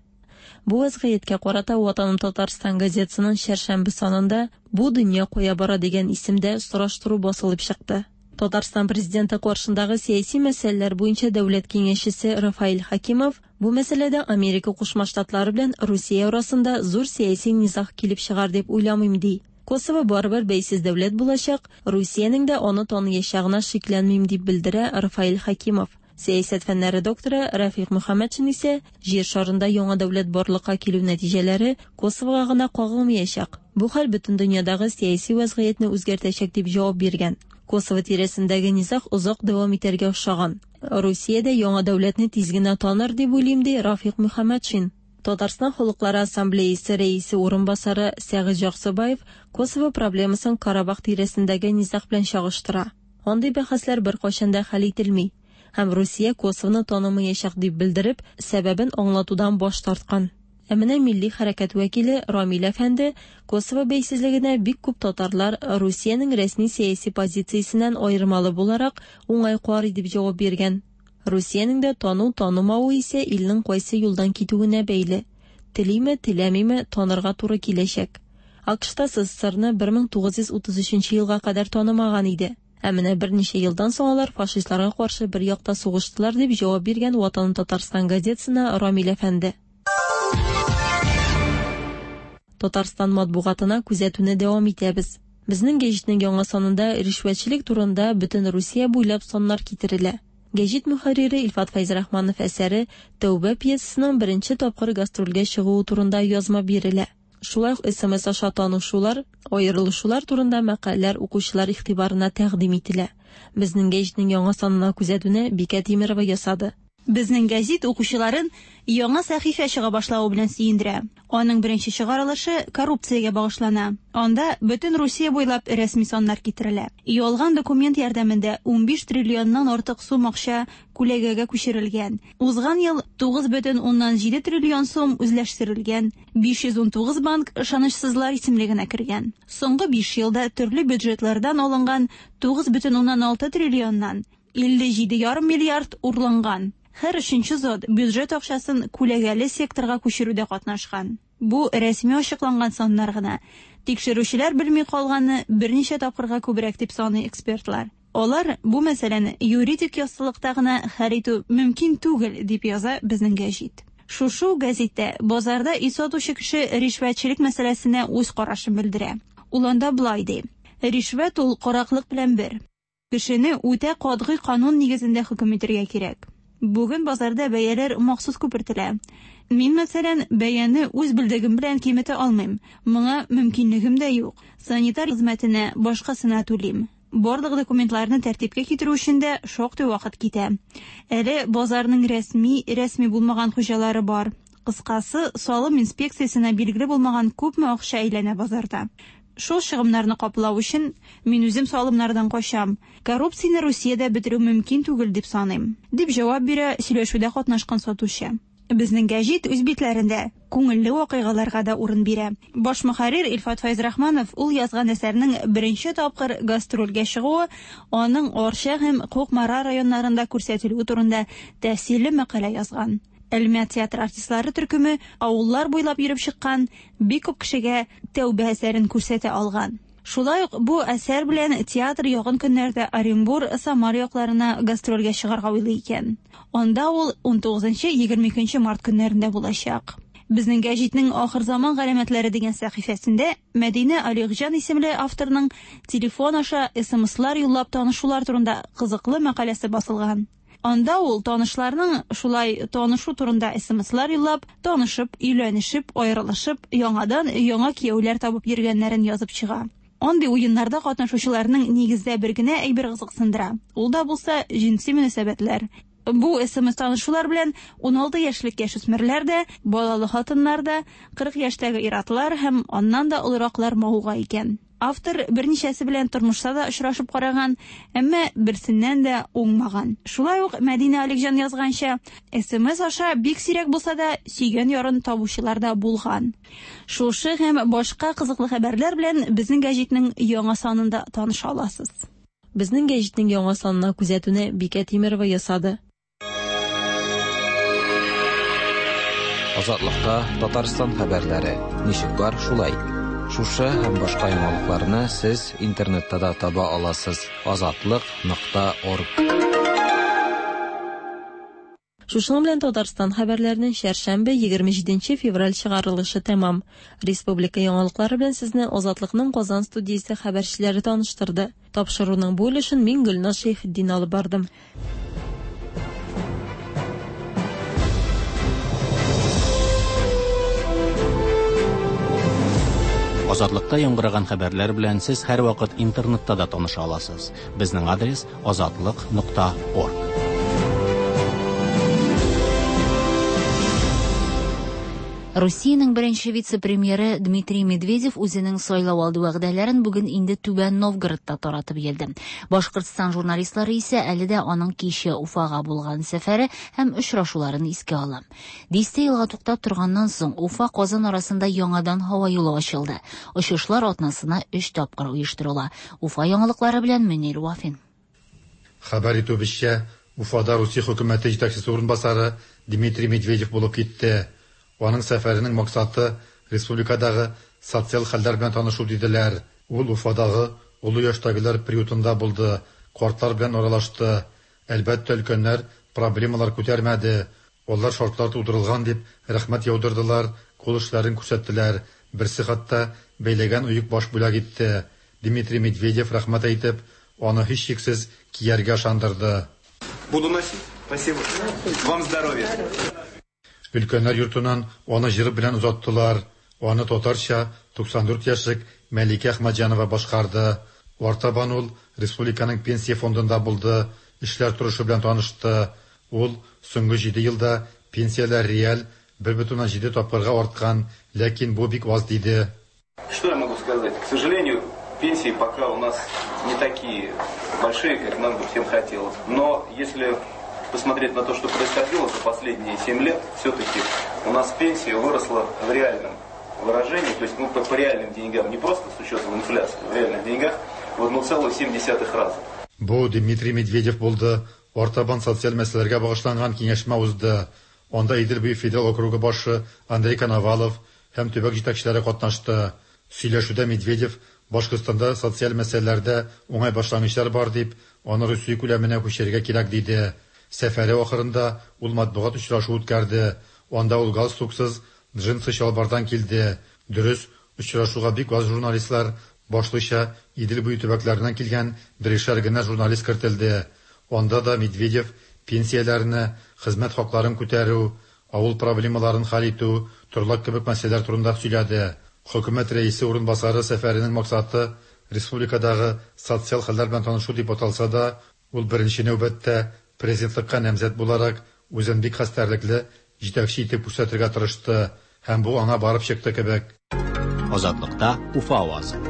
Бу вәзгыятькә карата Ватаным Татарстан газетасының чәршәмбе санында Бу дөнья кая бара дигән исемдә сораштыру басылып чыкты. Татарстан Президенты каршындагы сәяси мәсьәләләр буенча дәүләт киңәшчесе Рафаэль Хәкимов бу мәсьәләдә Америка Кушма Штатлары белән Русия арасында зур сәяси низаг килеп чыгар дип уйламыйм ди. Косово барыбер бәйсез дәүләт булачак, Русиянең дә аны таныячагына шикләнмим дип белдерә Рафаэль Хәкимов. Сәясәт фәннәре докторы Рәфыйк Мөхәммәтшин исә Җир шарында яңа дәүләт барлыкка килү нәтиҗәләре Косовога гына кагылмыячак, бу хәл бөтен дөньядагы сәяси вәзгыятьне үзгәртәчәк дип җавап биргән. Косово тирәсендәге низаг озак дәвам итәргә охшаган. Русия дә яңа дәүләтне тиз генә таныр дип уйлыйм, ди Рафыйк Мөхәммәтшин. Татарстан Халыклары Ассамблеясе рәисе урынбасары Сәгыйть Җаксыбаев Косово проблемасын Карабах тирәсендәге низаг белән чагыштыра. Андый бәхәсләр беркайчан да хәл ителми һәм Русия Косовоны танымыячак дип белдереп, сәбәбен аңлатудан баш тарткан. Ә менә милли хәрәкәт вәкиле Рамил әфәнде Косово бәйсезлегенә бик күп татарлар Русиянең рәсми сәяси позициясеннән аермалы буларак уңай карый дип җавап биргән. Русиянең дә тану-танымавы исә илнең кайсы юлдан китүенә бәйле. Телиме, теләмиме, танырга туры киләчәк. АКШта СССРны 1933 елга кадәр танымаган иде. Ә менә берничә елдан соң алар фашистларга каршы бер якта сугыштылар, дип җавап биргән Ватаным Татарстан газетасына Рамил әфәнде. Татарстан матбугатына күзәтүне дәвам итәбез. Безнең гәҗитнең яңа санында ришвәтчелек турында бөтен Русия буйлап саннар китерелә. Гәҗит мөхәррире Илфат Фәйзрахманов әсәре Тәүбә пьесасының беренче тапкыр гастрольгә чыгуы турында язма бирелә. Шулай ук смс аша танышулар, аерылышулар турында мәкаләләр укучылар игътибарына тәкъдим ителә. Безнең гәҗитнең яңа санына күзәтүне Бикә Тимерова ясады. Безнең гәзит укучыларын яңа сәхифә чыга башлавы белән сөендерә. Аның беренче чыгарылышы коррупциягә багышлана. Анда бөтен Русия буйлап рәсми саннар китерелә. Ялган документ ярдәмендә 15 триллионнан артык сум акча күләгәгә күчерелгән. Узган ел 9,7 триллион сум үзләштерелгән. 519 банк ышанычсызлар исемлегенә кергән. Соңгы 5 елда төрле бюджетлардан алынган 9,6 триллионнан 57,5 миллиард урланган. Һәр өченче зат бюджет акчасын күләгәле секторга күчерүдә катнашкан. Бу рәсми ачыкланган саннар гына. Тикшерүчеләр белми калганы берничә тапкырга күбрәк дип саный экспертлар. Алар бу мәсьәләне юридик яссылыкта гына хәл итү мөмкин түгел, дип яза безнең гәҗит. Шушы ук гәзиттә базарда ит сатучы кеше ришвәтчелек мәсьәләсенә үз карашын белдерә. Ул анда болай ди: Ришвәт ул караклык белән бер. Кешене үтә катгый канун нигезендә хөкем итәргә кирәк. Бүген базарда бәяләр махсус күпертелә. Мин, мәсәлән, бәяне үз белдегем белән киметә алмыйм. Моңа мөмкинлегем дә юк. Санитар хезмәтенә, башкасына түлим. Барлык документларны тәртипкә китерү өчен дә шактый вакыт китә. Әле базарның рәсми, рәсми булмаган хуҗалары бар. Кыскасы, салым инспекциясенә билгеле булмаган күпме акча әйләнә базарда. Шул чыгымнарны каплау өчен мин үзем салымнардан качам. Коррупцияне Русиядә бетерү мөмкин түгел дип саныйм, дип җавап бирә сөйләшүдә катнашкан сатучы. Безнең гәҗит үз битләрендә күңелле вакыйгаларга да урын бирә. Баш мөхәррир Илфат Фәйзрахманов ул язган әсәрнең беренче тапкыр гастрольгә чыгуы, аның Арча һәм Кукмара районнарында күрсәтелүе турында тәфсилле мәкалә язган. Әлмәт театр артистлары төркеме авыллар буйлап йөреп чыккан, бик күп кешегә Тәүбә әсәрен күрсәтә алган. Шулай ук бу әсәр белән театр якын көннәрдә Оренбур, Самар якларына гастрольгә чыгарга уйлый икән. Анда ул 19-22 март көннәрендә булачак. Безнең гәҗитнең Ахырзаман галәмәтләре дигән сәхифәсендә Мәдинә Алигҗан исемле авторның телефон аша СМСлар юллап танышулар турында кызыклы мәкаләсе басылган. Анда ул танышларның шулай танышу турында СМСлар юллап, танышып, өйләнешеп, аерылышып, яңадан яңа кияүләр табып йөргәннәрен язып чыга. Андый уеннарда катнашучыларның нигездә бер генә әйбер кызыксындыра. Ул да булса җенси мөнәсәбәтләр. Бу СМС-танышулар белән 16 яшьлек яшүсмерләр дә, балалы хатыннар да, 40 яшьтәге ир-атлар һәм аннан да олыраклар мавыга икән. Автор берничәсе белән тормышта да очрашып караган, әмма берсеннән дә уңмаган. Шулай ук Мәдинә Аликҗан язганча, СМС аша бик сирәк булса да сөйгән ярын табучылар да булган. Шушы һәм башка кызыклы хәбәрләр белән безнең гәҗитнең яңа санында таныша аласыз. Безнең гәҗитнең яңа санына күзәтүне Бикә Тимерова ясады. Азатлыкта Татарстан хәбәрләре. Ничек бар, шулай. Шушы һәм башка яңалыкларны сез интернетта да таба аласыз. Азатлык.орг. Шушының белән Татарстан хәбәрләренең чәршәмбе 27 февраль чыгарылышы тәмам. Республика яңалыклары белән сезне Азатлыкның Казан студиясе хәбәрчеләре таныштырды. Тапшыруның бу өлешен мин Гөлназ Шәйхетдин алып бардым. Азатлыкта яңгыраган хәбәрләр белән сез һәрвакыт интернетта да таныша аласыз. Безнең адрес азатлык.орг. Русиянең беренче вице-премьеры Дмитрий Медведев үзенең сайлау алды вәгъдәләрен бүген инде Түбән Новгородта таратып йөрде. Башкортстан журналистлары исә әле дә аның кичә Уфага булган сәфәре һәм очрашуларын искә ала. Дистә елга туктап торганнан соң Уфа Казан арасында яңадан һава юлы ачылды. Очышлар атнасына 3 тапкыр оештырыла. Уфа яңалыклары белән Мөнир Вафин. Хәбәр итүебезчә, Уфада Русия хөкүмәте җитәкчесе урынбасары Дмитрий Медведев булып китте. Аның сәфәренең максаты республикадагы социаль хәлләр белән танышу диделәр. Ул Уфадагы олы яшьтәгеләр приютында булды, картлар белән аралашты. Әлбәттә, өлкәннәр проблемалар күтәрмәде. Алар шартлар тудырылган дип рәхмәт яудырдылар, кул эшләрен күрсәттеләр. Берсе хәтта бәйләгән оек баш бүләк итте. Дмитрий Медведев рәхмәт әйтеп, аны һичшиксез кияргә ышандырды. Буду носить. Спасибо. Вам здоровья. Өлкәннәр йортыннан аны җыр белән озаттылар. Аны татарча 94 яшьлек Мәликә Әхмәтҗанова башкарды. Артабан ул республиканың пенсия фондында булды, эшләр торышы белән танышты. Ул соңгы 7 елда пенсияләр реаль 1,7 тапкырга арткан, ләкин бу бик аз диде. Что я могу сказать? К сожалению, пенсии пока у нас не такие большие, как нам бы всем хотелось. Но если посмотреть на то, что происходило за последние 7 лет, все-таки у нас пенсия выросла в реальном выражении, то есть ну, по реальным деньгам, не просто с учетом инфляции, в реальных деньгах в 1,7 раза. Бу Дмитрий Медведев булды. Артабан социаль мәсьәләләргә багышланган киңәшмә узды. Анда Идел буе федераль округы башы Андрей Коновалов һәм төбәк җитәкчеләре катнашты. Сөйләшүдә Медведев Башкортстанда социаль мәсьәләләрдә уңай башлангычлар бар дип, аны Русия күләменә күчерергә кирәк диде. Сәфәре ахырында ул матбугат очрашу үткәрде. Анда ул галстуксыз, джинсы чалбардан килде. Дөрес, очрашуга бик аз журналистлар, башлыча Идел буе төбәкләреннән килгән берешәр генә журналист кертелде. Анда да Медведев пенсияләрне, хезмәт хакларын күтәрү, авыл проблемаларын хәл итү, торлак кебек мәсьәләләр турында сөйләде. Хөкүмәт рәисе урынбасары сәфәренең максаты республикадагы социаль хәлләр белән танышу дип аталса да, ул беренче нәүбәттә президентлыкка намзәт буларак үзен бик хәстәрлекле җитәкче итеп күрсәтергә тырышты һәм бу аңа барып чыкты кебек. Азатлыкта Уфа авазы.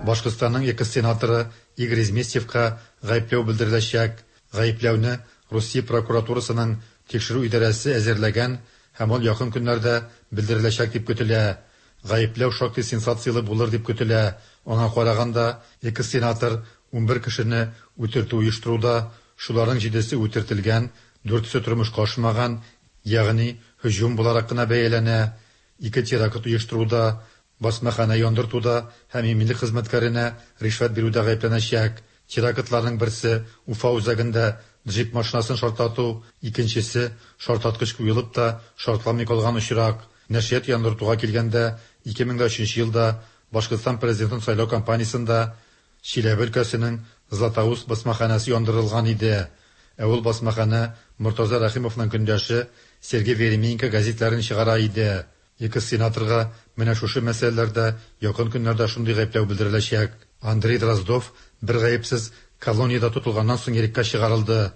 Башкортстанның экс-сенаторы Игорь Изместьевка гаепләү белдереләчәк. Гаепләүне Русия прокуратурасының тикшерү идарәсе әзерләгән һәм ул якын көннәрдә белдереләчәк дип көтелә. Гаепләү шактый сенсацияле булыр дип көтелә. Аңа караганда, экс-сенатор 11 кешене үтертү оештыруда, шуларның 7-се үтертелгән, 4-се тормышка ашмаган, ягъни һөҗүм буларак кына бәяләнә. 2 теракт оештыруда, басмахана яндыртуда һәм иминлек хезмәткәренә ришвәт бирүдә гаепләнәчәк. Терактларның берсе Уфа үзәгендә джип машинасын шартлату, икенчесе шартлаткыч куелып та шартламый калган очрак. Нәшрият яндыртуга килгәндә, 2003 елда Башкортстан президентын сайлау кампаниясендә Чиләбе өлкәсенең Златоуст басмаханасы яндырылган иде. Ә ул басмахана Мортаза Рәхимовның көндәше Сергей Веременко газетларын чыгара иде. Экс-сенаторга менә шушы мәсьәләләрдә якын көннәрдә шундый гаепләү белдереләчәк. Андрей Дроздов бер гаепсез колониядә тотылганнан соң иреккә чыгарылды.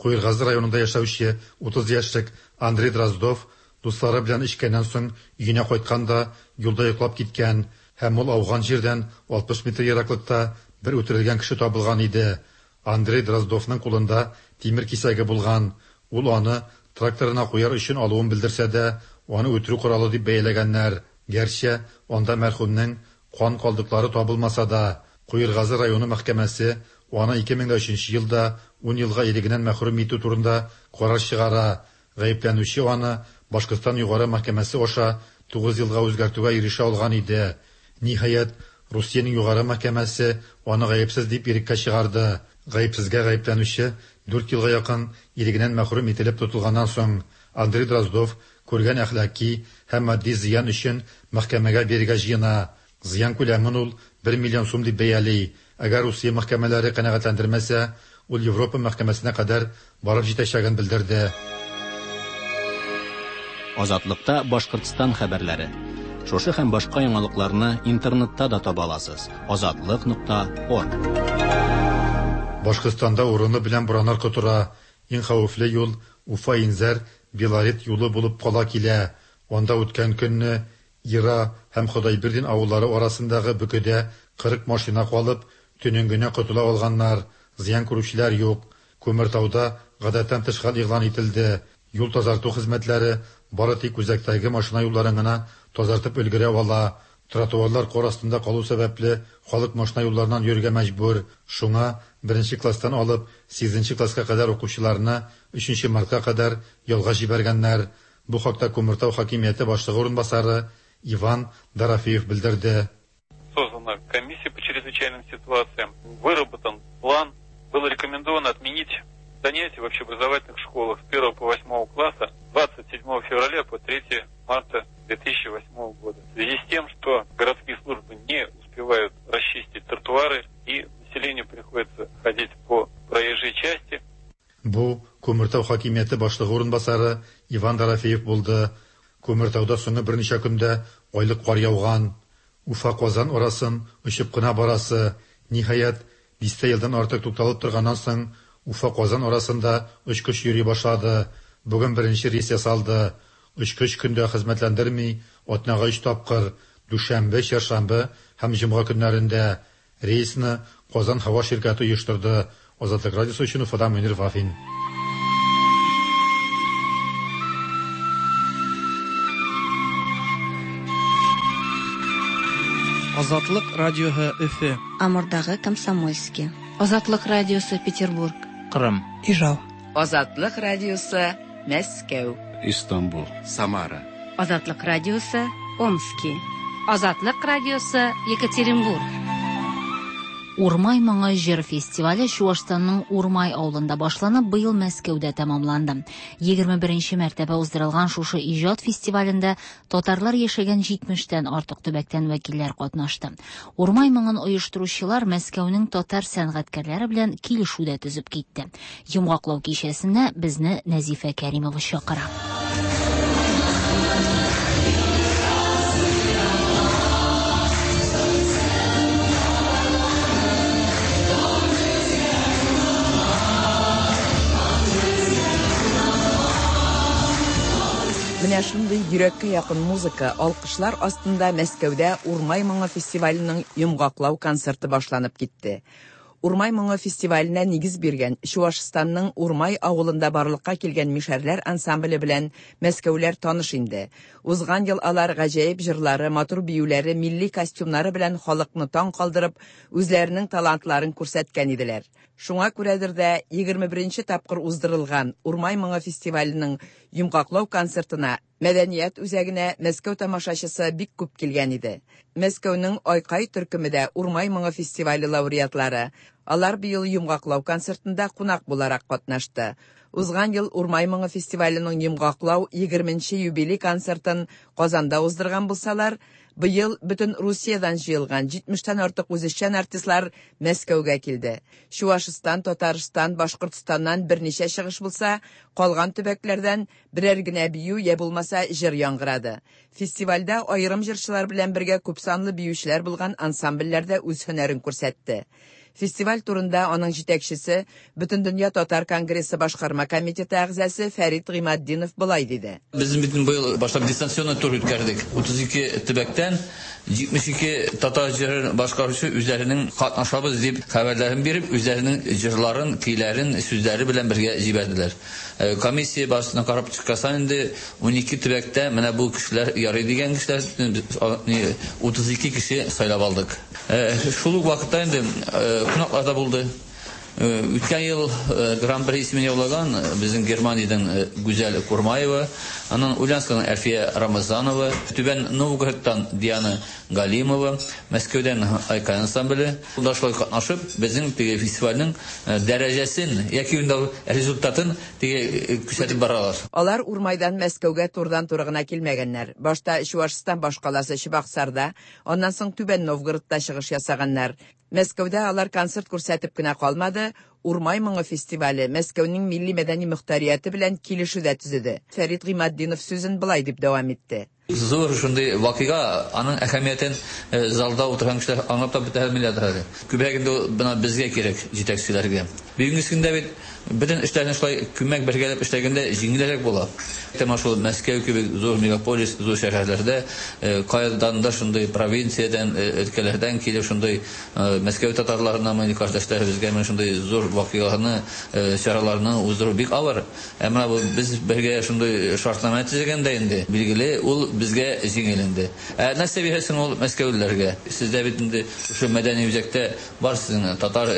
Куергазы районында яшәүче 30 яшьлек Андрей Дроздов дуслары белән эчкәннән соң өенә кайтканда юлда йоклап киткән һәм ул ауган җирдән 60 метр ераклыкта бер үтерелгән кеше табылган иде. Андрей Дроздовның кулында тимер кисәге булган. Ул аны тракторына куяр өчен алуын белдерсә дә, аны үтерү коралы дип бәяләгәннәр. Гәрчә анда мәрхүмнең кан калдыклары табылмаса да, Куергазы районы мәхкәмәсе аны 2003 елда 10 елга ирегеннән мәхрүм итү турында карар чыгара. Гаепләнүче аны Башкортстан югары мәхкәмәсе аша 9 елга үзгәртүгә ирешә алган иде. Ниһаять, Русиянең югары мәхкәмәсе аны гаепсез дип иреккә чыгарды. Гаепсезгә гаепләнүче 4 елга якын ирегеннән мәхрүм ителеп тотылганнан соң Андрей Дроздов күргән әхлаки һәм матди зыян өчен мәхкәмәгә бирергә җыена. Зыян күләмен ул 1 миллион сум дип бәяли. Әгәр Русия мәхкәмәләре канәгатьләндермәсә, ул Европа мәхкәмәсенә кадәр барып җитәчәген белдерде. Азатлыкта Башкортстан хәбәрләре. Шушы һәм башка яңалыкларны интернетта да таба аласыз. Азатлык.орг. Башкортстанда урыны белән бураннар котыра. Иң хәвефле юл Уфа-Инзәр Белорет юлы булып кала килә. Анда үткән көнне Ира һәм Ходайбирдин авыллары арасындагы бөкедә 40 машина калып, төнен генә котыла алганнар. Зыян күрүчеләр юк. Күмертауда гадәттән тыш хәл игълан ителде. Юл тазарту хезмәтләре бары тик үзәктәге машина юлларын гына тазартып өлгерә ала. Тротуарлар кар астында калу сәбәпле халык машина юлларыннан йөрергә мәҗбүр. Шуңа 1 класстан алып 8 класска кадәр укучыларны 3 мартка кадәр ялга җибәргәннәр. Бу хакта Күмертау хакимияте башлыгы урынбасары Иван Дорофеев белдерде. Создана комиссия по чрезвычайным ситуациям, выработан план, было рекомендовано отменить занятия в общеобразовательных школах с 1 по 8 класса 27 февраля по 3 марта 2008 года. В связи с тем, что городские службы не успевают расчистить тротуары и населению приходится ходить по проезжей части. Бу Күмертау хакимияте башлыгы урынбасары Иван Дорофеев булды. Күмертауда соңгы берничә көндә айлык кар яуган. Уфа Казан арасын очып кына барасы. Ниһаять, дистә елдан артык тукталып торганнан соң Уфа-Казан арасында очкыч йөри башлады. Бүген беренче рейс ясалды. Очкыч көн дә хезмәтләндерми, атнага өч тапкыр, дүшәмбе, чәршәмбе һәм җомга көннәрендә. Рейсны Казан һава ширкәте оештырды. Азатлык радиосы өчен Уфадан Мөнир Вафин. Азатлык радиоһы Өфе. Амурдагы Комсомольский. Азатлык радиосы Петербург. Кырым. Ижау. Азатлык радиосы Мәскәү. Истанбул. Самара. Азатлык радиосы Омски. Азатлык радиосы Екатеринбург. Урмай моңы җыр фестивале Чуашстанның Урмай авылында башланып, быел Мәскәүдә тәмамланды. 21 мәртәбә уздырылган шушы иҗат фестивалендә татарлар яшәгән 70тән артык төбәктән вәкилләр катнашты. Урмай моңын оештыручылар Мәскәүнең татар сәнгатькәрләре белән килешү дә төзеп китте. Йомгаклау кичәсенә безне Нәзифә Кәримова чакыра. Менә шундый йөрәккә якын музыка, алкышлар астында Мәскәүдә Урмай моңы фестиваленең йомгаклау концерты башланып китте. Урмай моңы фестиваленә нигез биргән Чуашстанның Урмай авылында барлыкка килгән Мишәрләр ансамбле белән мәскәүләр таныш инде. Узган ел алар гаҗәеп җырлары, матур биюләре, милли костюмнары белән халыкны таң калдырып, үзләренең талантларын күрсәткән иделәр. Шуңа күрәдер дә 21 тапкыр уздырылган Урмай моңы фестиваленең йомгаклау концертына Мәдәният үзәгенә Мәскәү тамашачысы бик күп килгән иде. Мәскәүнең Айкай төркеме дә Урмай моңы фестивале лауреатлары. Алар быел йомгаклау концертында кунак буларак катнашты. Узган ел Урмай моңы фестиваленең йомгаклау 20 юбилей концертын Казанда уздырган булсалар, быел бөтен Русиядән җыелган 70тән артык үзешчән артистлар Мәскәүгә килде. Чуашстан, Татарстан, Башкортстаннан берничә чыгыш булса, калган төбәкләрдән берәр генә бию я булмаса җыр яңгырады. Фестивальдә аерым җырчылар белән бергә күпсанлы биючеләр булган ансамбльләр дә үз һөнәрен күрсәтте. Фестиваль турында аның җитәкчесе, Бөтендөнья татар конгрессы башкарма комитеты әгъзасы Фәрит Гыйматдинов болай диде. Без бит быел башлап дистанционный тур үткәрдек. 32 төбәктән 72 татар җырын башкаручы үзләренең катнашабыз дип хәбәрләрен биреп, үзләренең җырларын, көйләрен, сүзләре белән бергә җибәрделәр. Комиссия башына карап чыккасан инде 12 төбәктә менә бу кешеләр ярый дигән кешеләр 32 кеше сайлап алдык. Шул ук вакытта инде кунаклар да булды. Үткән ел Гран-при исемен яулаган безнең Германиядән Гүзәл Курмаева, аннан Ульяновскадан Әлфия Рамазанова, Түбән Новгородтан Диана Галимова, Мәскәүдән Айкай ансамбле. Ул шулай катнашып, безнең теге фестивальнең дәрәҗәсен яки инде результатын теге күрсәтеп баралар. Алар Урмайдан Мәскәүгә турыдан-туры гына килмәгәннәр. Башта Чуашстан башкаласы Чебоксарда, аннан соң Түбән Новгородта чыгыш ясаганнар. Мәскәүдә алар концерт күрсәтеп кенә калмады, Урмай моңы фестивале Мәскәүнең милли мәдәни мөхтәрияте белән килешү дә төзеде. Фәрит Гыйматдинов сүзен болай дип дәвам итте. Зур шундый вакыйга, аның әһәмиятен залда утырган кешеләр аңлап та бетә алмыйлар әле. Күбрәк инде бына безгә кирәк җитәкчеләргә. Бүгенге көндә бит бөтен эшләрне шулай күмәк бергәләп эшләгәндә җиңелрәк була. Тәмам шул Мәскәү кебек зур мегаполис, зур шәһәрләрдә кайдан да шундый провинциядән, өлкәләрдән килеп шундый Мәскәү татарларына, милли кардәшләребезгә менә шундый зур вакыйгаларны, чараларны уздыру бик авыр. Ә менә бу без бергә шундый шартнамә төзегәндә инде, билгеле, ул безгә җиңел инде. Ә нәрсә бирәсең ул мәскәүлеләргә? Сездә бит инде шушы мәдәни үзәктә бар сезнең татар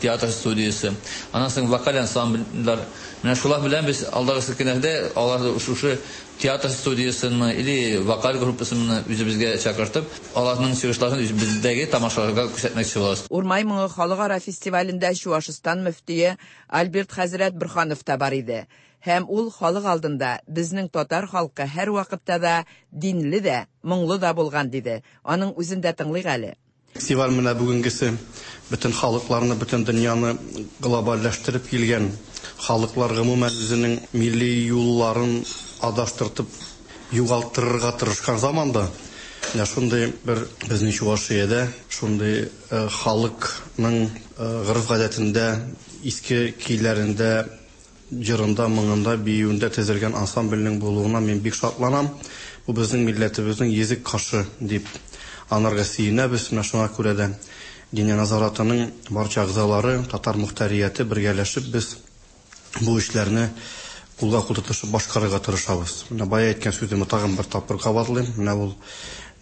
театр студиясе. Аннан соң вокаль ансамбльләр. Менә шулар белән без алдагы көннәрдә аларны шушы театр студиясенме или вокаль группасынмы үзебезгә чакыртып, аларның чыгышларын бездәге тамашаларга күрсәтмәкче булабыз. Урмай моңы халыкара фестивалендә Чуашстан мөфтие Альберт хәзрәт Борһанов та бар иде. Һәм ул халык алдында безнең татар халкы һәр вакытта да динле дә, моңлы да булган диде. Аның үзен дә тыңлыйк әле. Фестиваль менә бүгенгесе бөтен халыкларны, бөтен дөньяны глобальләштереп килгән халыклар гомумән үзенең милли юлларын адаштыртып югалтырырга тырышкан заманда Менә шундый бер безнең Чувашиядә шундый халыкның гореф-гадәтендә, иске көйләрендә, җырында, моңында, биюендә төзелгән ансамбльнең булуына мин бик шатланам. Бу безнең милләтебезнең йөзек кашы дип анарга сөенәбез. Менә шуңа күрә дә Диния нәзаратының барча әгъзалары, татар мохтарияте бергәләшеп без бу эшләрне кулга-кул тотышып башкарырга тырышабыз. Менә бая әйткән сүземне тагын бер тапкыр кабатлыйм. Менә ул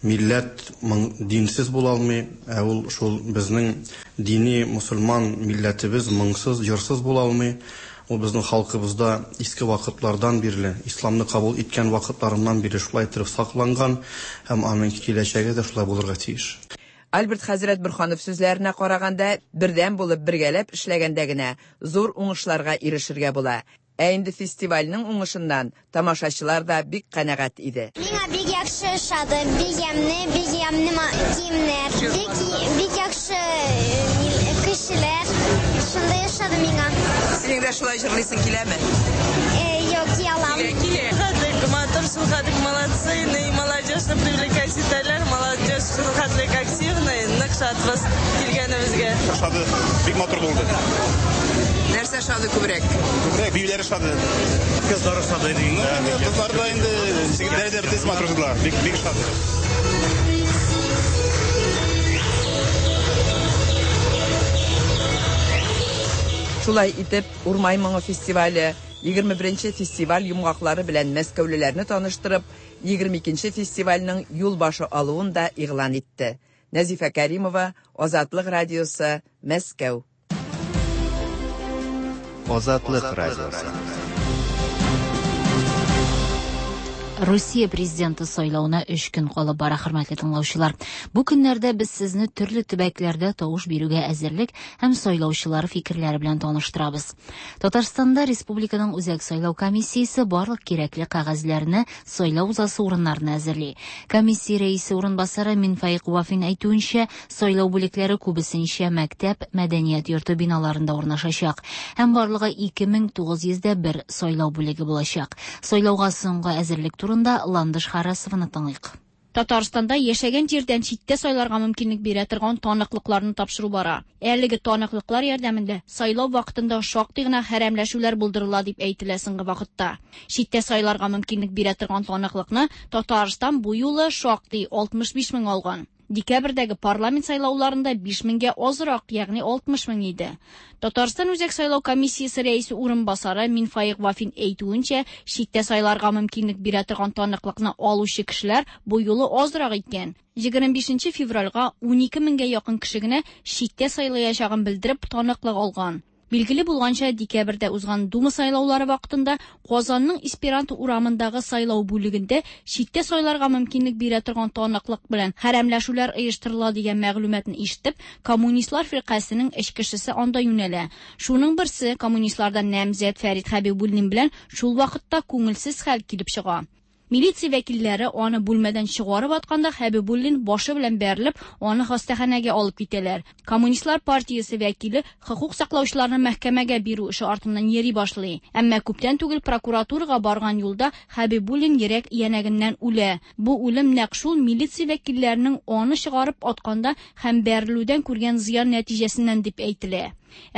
милләт моң динсез була алмый, ә ул шул безнең дини мосылман милләтебез моңсыз, җырсыз була алмый. Ул безнең халкыбызда иске вакытлардан бирле, исламны кабул иткән вакытларыннан бирле шулай иттереп сакланган һәм аның киләчәге дә шулай булырга тиеш. Альберт хәзрәт Борһанов сүзләренә караганда, бердәм булып, бергәләп эшләгәндә генә зур уңышларга ирешергә була. Ә инде фестивальнең уңышыннан тамашачылар да бик канәгать иде. Миңа бик яхшы ошады, бик ямьле, бик ямьле киемнәр, бик, бик яхшы кешеләр, шундый ошады миңа. Синең дә шулай җырлыйсың киләме? Юк, кия алам. Килә, килә. Матур, шулхәтлек молодцы, ну и молодежьны привлекать итәләр, молодежь шулхәтлек активный, нык шатбыз килгәнебезгә. Ошады, бик матур булды. Нәрсә ошады күбрәк? Күбрәк биюләр ошады. Кызлар ошады инде. Кызлар да инде, егетләр дә бөтенесе матур ошадылар. Бик бик ошады. Шулай итеп, Урмай моңы фестивале 21 нче фестиваль йомгаклары белән мәскәүлеләрне таныштырып, 22 нче фестивальнең юл башы алуын да игълан итте. Нәзифә Кәримова, Азатлык радиосы, Мәскәү. Азатлык радиосы. Русия президенты сайлавына өч көн калып бара, хөрмәтле тыңлаучылар. Бу көннәрдә без сезне төрле төбәкләрдә тавыш бирүгә әзерлек һәм сайлаучылар фикерләре белән таныштырабыз. Татарстанда республиканың Үзәк сайлау комиссиясе барлык кирәкле кәгазьләрне сайлау узасы урыннарына әзерли. Комиссия рәисе урынбасары Минфаик Вафин әйтүенчә, сайлау бүлекләре күбесенчә мәктәп, мәдәният йорты биналарында урнашачак һәм барлыгы 2901 сайлау бүлеге булачак. Сайлауга соңгы әзерлек турында Ландыш Харасованы тыңлыйк. Татарстанда яшәгән җирдән читтә сайларга мөмкинлек бирә торган таныклыкларны тапшыру бара. Әлеге таныклыклар ярдәмендә сайлау вакытында шактый гына хәрәмләшүләр булдырыла дип әйтелә соңгы вакытта. Читтә сайларга мөмкинлек бирә торган таныклыкны Татарстан бу юлы шактый 65 мең алган. Декабрьдәге парламент сайлауларында 5 меңгә азрак, ягъни 60 мең иде. Татарстан Үзәк сайлау комиссиясе рәисе урынбасары Минфаик Вафин әйтүенчә, читтә сайларга мөмкинлек бирә торган таныклыкны алучы кешеләр бу юлы азрак икән. 25 февральгә 12 меңгә якын кеше генә читтә сайлаячагын белдереп таныклык алган. Билгеле булганча, декабрьдә узган Дума сайлаулары вакытында Казанның Эсперанто урамындагы сайлау бүлегендә читтә сайларга мөмкинлек бирә торган таныклык белән хәрәмләшүләр оештырыла дигән мәгълүматны ишетеп, Коммунистлар фиркасенең өч кешесе анда юнәлә. Шуның берсе, коммунистлардан намзәт Фәрит Хәбибуллин белән шул вакытта күңелсез хәл килеп чыга. Милиция вәкилләре аны бүлмәдән чыгарып атканда Хәбибуллин башы белән бәрелеп, аны хастаханәгә алып китәләр. Коммунистлар партиясе вәкиле хокук саклаучыларны мәхкәмәгә бирү эше артыннан йөри башлый. Әмма күптән түгел прокуратурага барган юлда Хәбибуллин йөрәк өянәгеннән үлә. Бу үлем нәкъ шул милиция вәкилләренең аны чыгарып атканда һәм бәрелүдән күргән зыян нәтиҗәсеннән дип әйтелә.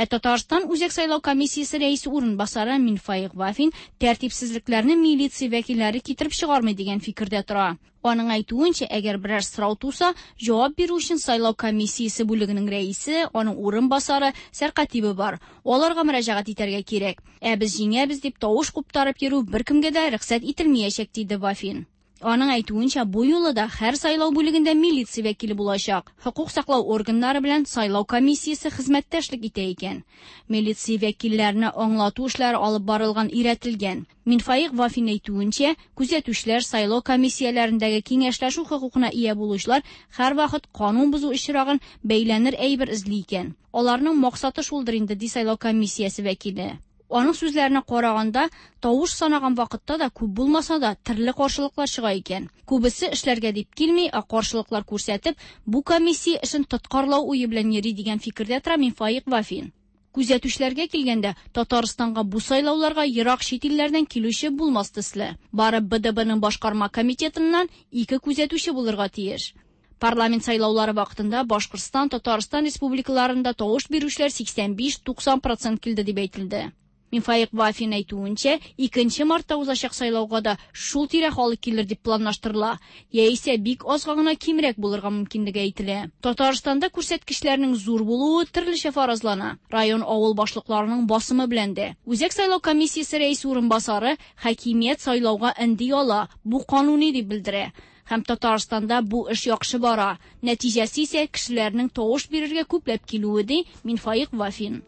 Ә Татарстан Үзәк сайлау комиссиясе рәисе урынбасары Минфаик Вафин тәртипсезлекләрне милиция вәкилләре китереп чыгармый дигән фикердә тора. Аның әйтүенчә, әгәр берәр сорау туса, җавап бирү өчен сайлау комиссиясе бүлегенең рәисе, аның урынбасары, сәркатибе бар. Аларга мөрәҗәгать итәргә кирәк. Ә без җиңәбез дип тавыш куптарып йөрү беркемгә дә рөхсәт ителмәячәк, диде Вафин. Аның әйтүенчә, бу юлы да һәр сайлау бүлегендә милиция вәкиле булачак. Хокук саклау органнары белән сайлау комиссиясе хезмәттәшлек итә икән. Милиция вәкилләренә аңлату эшләре алып барылган өйрәтелгән. Минфаик Вафин әйтүенчә, күзәтүчеләр сайлау комиссияләрендәге киңәшләшү хокукына ия булучылар һәрвакыт канун бозу очрагын бәйләнер әйбер эзли икән. Аларның максаты шулдыр инде, ди сайлау комиссиясе вәкиле. Аның сүзләренә караганда, тавыш санаган вакытта да күп булмаса да төрле каршылыклар чыга икән. Күбесе эшләргә дип килми, ә каршылыклар күрсәтеп, бу комиссия эшен тоткарлау уе белән йөри дигән фикердә тора Минфаик Вафин. Күзәтүчеләргә килгәндә, Татарстанга бу сайлауларга ерак чит илләрдән килүче булмас төсле. Бары БДБның башкарма комитетыннан ике күзәтүче булырга тиеш. Парламент сайлаулары вакытында Башкортстан, Татарстан республикаларында тавыш бирүчеләр 85-90 процент килде дип әйтелде. Минфаик Вафин әйтүенчә, 2 мартта узачак сайлауга да шул тирә халык килер дип планлаштырыла, яисә бик азга гына кимрәк булырга мөмкинлеге әйтелә. Татарстанда күрсәткечләрнең зур булуы төрлечә фаразлана. Район авыл башлыкларының басымы белән дә. Үзәк сайлау комиссиясе рәисе урынбасары хакимият сайлауга өнди ала, бу кануни дип белдерә. Һәм Татарстанда бу эш яхшы бара. Нәтиҗәсе исә кешеләрнең тавыш бирергә күпләп килүе, ди Минфаик Вафин.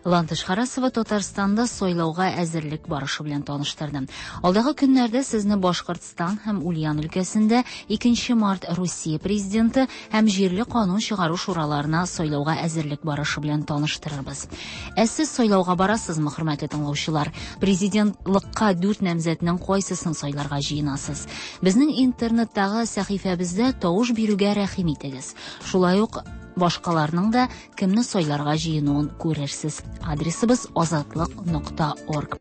Ландыш Харасова Татарстанда сайлауга әзерлек барышы белән таныштырды. Алдагы көннәрдә сезне Башкортстан һәм Ульян өлкәсендә 2 март Русия президенты һәм җирле канун чыгару шураларына сайлауга әзерлек барышы белән таныштырырбыз. Ә сез сайлауга барасызмы, хөрмәтле тыңлаучылар? Президентлыкка 4 намзәтнең кайсысын сайларга җыенасыз? Безнең интернеттагы сәхифәбездә тавыш бирүгә рәхим итегез. Шулай ук башкаларның да кемне сайларга җыенуын күрерсез. Адресыбыз азатлык.орг.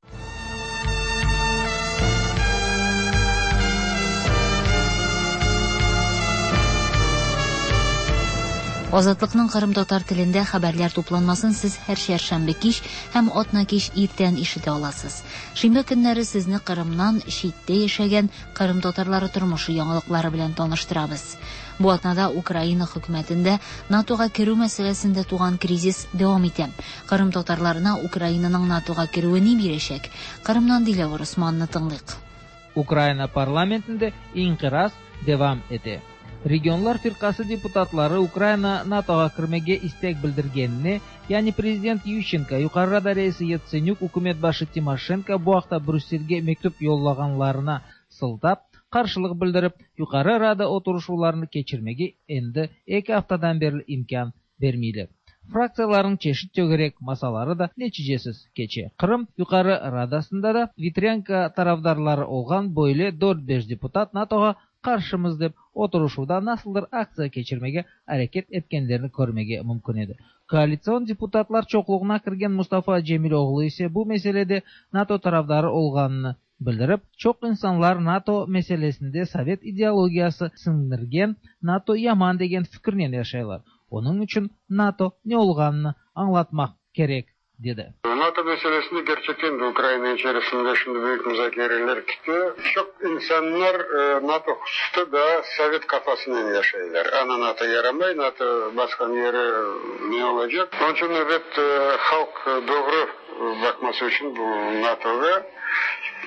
Азатлыкның кырым татар телендә хәбәрләр тупланмасын сез һәр чәршәмбе кич һәм атна кич иртән ишетә аласыз. Шимбә көннәре сезне Кырымнан читтә яшәгән кырым татарлары тормышы яңалыклары белән таныштырабыз. Бу атнада Украина хөкүмәтендә НАТОга керү мәсьәләсендә туган кризис дәвам итә. Кырым татарларына Украинаның НАТОга керүе ни бирәчәк? Кырымнан Диләвер Усманны тыңлыйк. Украина парламентында инкираз дәвам итә. Регионлар фиркасы депутатлары Украина НАТОга кирмеге истек билдиргенине, яни президент Ющенко, Юкары Рада рәисе Яценюк, үкүмөт башы Тимошенко бу акта Брюссельге мектуп йоллаганларына сылтап, каршылык билдирип, Юкары Рада отурушууларын кечирмеге энди 2 аптадан бери имкан бермейлер. Фракцияларның чешит төгерек масалары да нәтижесиз кече. Кырым Юкары Радасында да Витренко тарафдарлары болгон бойле 4-5 депутат НАТОга каршымыз деп отурушууда насылдыр акция кечирмеге аракет эткендерин көрмеге мүмкүн эди. Коалицион депутатлар чоклугуна кирген Мустафа Джемилоглу исе бу маселеде НАТО тарафдары болгонун билдирип, чок инсанлар НАТО маселесинде совет идеологиясы сиңдирген НАТО яман деген фикирнен жашайлар. Onun үчүн НАТО не болгонун аңлатмак керек dedi. NATO meselesini gerçekten de Ukrayna içerisinde şimdi büyük müzakereler gitti. Çok insanlar NATO hususta da Sovet kafasından yaşayırlar. Ana NATO yaramay, NATO baskan yeri ne olacak? Onun için evet halk doğru bakması için bu NATO'ya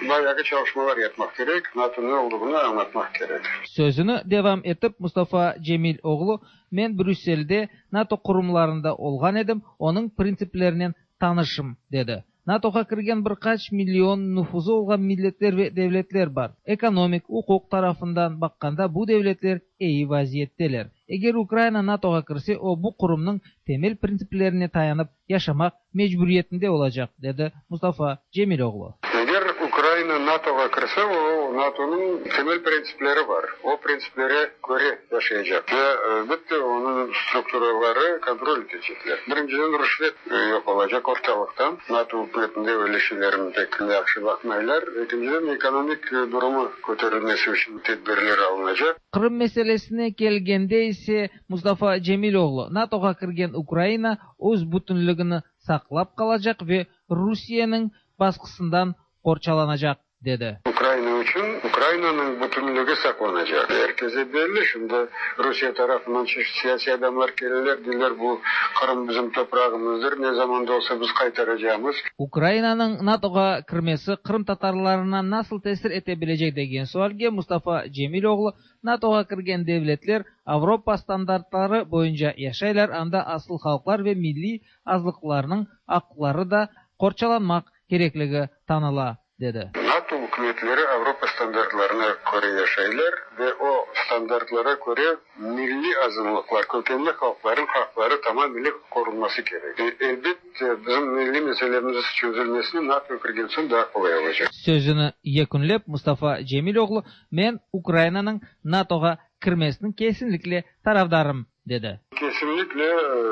bayağı çalışmalar yapmak gerek. NATO ne olduğunu anlatmak gerek. Sözünü devam etip Mustafa Cemiloğlu, men Brüssel'de NATO kurumlarında olgan edim, onun prinsiplerinden tanışım dedi. NATO'га кирген бир кач миллион нуфузу болгон миллеттер ве девлетлер бар. Экономик, укук тарафынан бакканда бу девлетлер эyi вазиеттелер. Эгер Украина НАТОга кирсе, о бу курумдун темел принциплерине таянып жашамак мажбуриетинде болачак, деди Мустафа Джемилоглу. Эгер Украина НАТОга кирсе, о НАТОнун темел принциплери бар. О принциплере көре жашайчак. Ве элбетте онун структуралары контроль этечеклер. Биринчиден рушвет жок болачак орталыктан. НАТО өкмөтүндө өлүшүлөрүн пек жакшы бакмайлар. Экинчиден экономик дуруму көтөрүлмөсү үчүн тедбирлер алыначак. Кырым маселесине келгенде исе Мустафа Джемилоглу НАТОга кирген Украина өз бүтүнлүгүн саклап калачак ве Русиянын баскысынан корчаланacak dedi. Ukrayna için Ukrayna'nın bütünlüğü saklanacak. Herkese belli. Şimdi Rusya tarafından çeşitli siyasi adamlar gelirler, diyorlar bu Kırım bizim toprağımızdır. Ne zaman da olsa biz kaytaracağımız. Ukrayna'nın NATO'ga kirmesi Kırım Tatarlarına nasıl tesir etebilecek degen sualge Mustafa Cemiloğlu NATO'ga kirgen devletler Avrupa standartları boyunca yaşaylar, anda asıl halklar ve milli azlıklarının hakları da korçalanmak kerekligi tanıla dedi. NATO hükümetleri Avrupa standartlarına göre yaşayırlar ve o standartlara göre milli azınlıklar, kökenli halkların hakları tamamıyla korunması gerek. Elbette bizim milli meselemiz çözülmesini NATO kirgen soň daha kolay olacak. Sözünü yekunlep Mustafa Cemiloğlu, men Ukrayna'nın NATO'ga kirmesinin kesinlikle tarafdarım dedi. Kesinlikle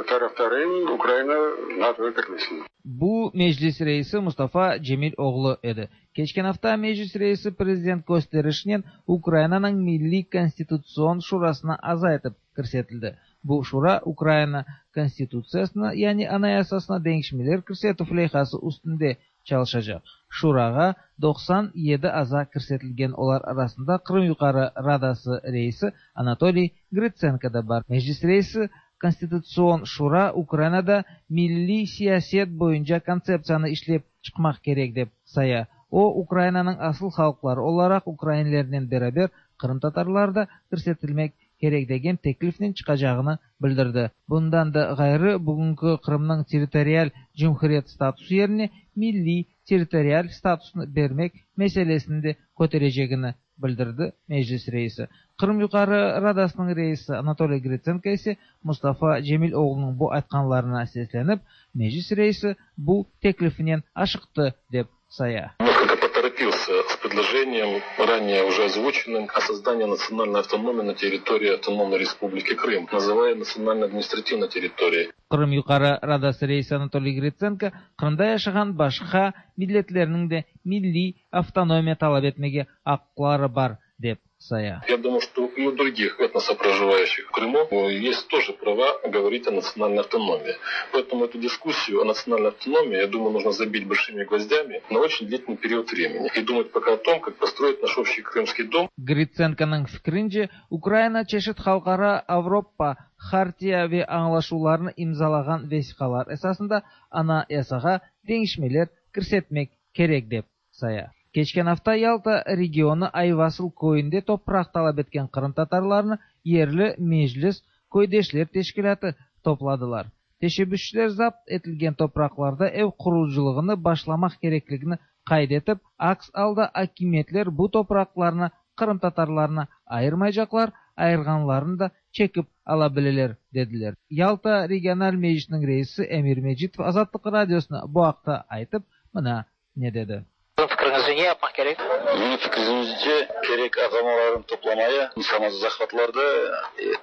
taraftarıyım Ukrayna NATO'ya kirmesini. Bu Meclis reisi Mustafa Cemil oğlu edi. Keçken afta Meclis reisi prezident kösterişinen Ukrainanıñ Milliy konstitutsion şurasına aza etip kirsetildi. Bu şura Ukraina Konstitutsiyasına, yani Anayasasına deñişmeler kirsetüv leyhası üstünde çalışacaq. Şurağa 97 aza kirsetilgen, olar arasında Qırım Yuqarı Radası reisi Anatoliy Gritsenko da bar. Meclis reisi Konstitutsion şura Ukrainada milliy siyaset boyunca kontseptsiyanı işlep çıqmaq kerek dep saya. O, Ukrainanıñ asıl halqları olaraq ukrainlernen beraber qırımtatarlar da kirsetilmek kerek degen teklifnen çıqacağını bildirdi. Bundan da ğayrı, bugünki Qırımnıñ territorial cumhuriyet statusı yerine milliy territorial statusnı bermek meselesini de köterecegini bildirdi Meclis reisi. Qırım Yuqarı Radasınıñ reisi Anatoliy Gritsenko ise Mustafa Cemil oğlunıñ bu aytqanlarına seslenip, Meclis reisi bu teklifinen aşıqtı, dep saya. Несколько поторопился с предложением, ранее уже озвученным, о создании национальной автономии на территории Автономной Республики Крым, называя национально-административной территорией. Qırım Yuqarı Radası reisi Anatoliy Gritsenko Qırımda yaşağan başqa milletlerniñ de milliy avtonomiya talap etmege aqları bar, dep saya. Я думаю, что и у других этносов, проживающих в Крыму, есть тоже права говорить о национальной автономии. Поэтому эту дискуссию о национальной автономии, я думаю, нужно забить большими гвоздями на очень длительный период времени. И думать пока о том, как построить наш общий крымский дом. Gritsenkonıñ fikrince, Ukraina çeşit halqara Avropa hartiya ve añlaşuvlarını imzalağan vesiqalar esasında Anayasağa deñişmeler kirsetmek kerek dep saya. Keçken afta Yalta regionı Ayvasıl köyünde topraq talap etken qırımtatarlarnı yerli meclis, köydeşler teşkilâtı topladılar. Teşebbüsçiler zapt etilgen topraqlarda ev qurucılığını başlamaq kerekligini qayd etip, aks alda akimiyetler bu topraqlarnı qırımtatarlarına ayırmaycaqlar, ayırğanlarını da çekip ala bileler, dediler. Yalta regional meclisiniñ reisi Emir Mecitov Azatlıq Radiosına bu aqta aytıp, mına ne dedi. Fikriñizce ne yapmaq kerek? Menim fikrimce, kerek adamlarnı toplamaya, samozahvatlarda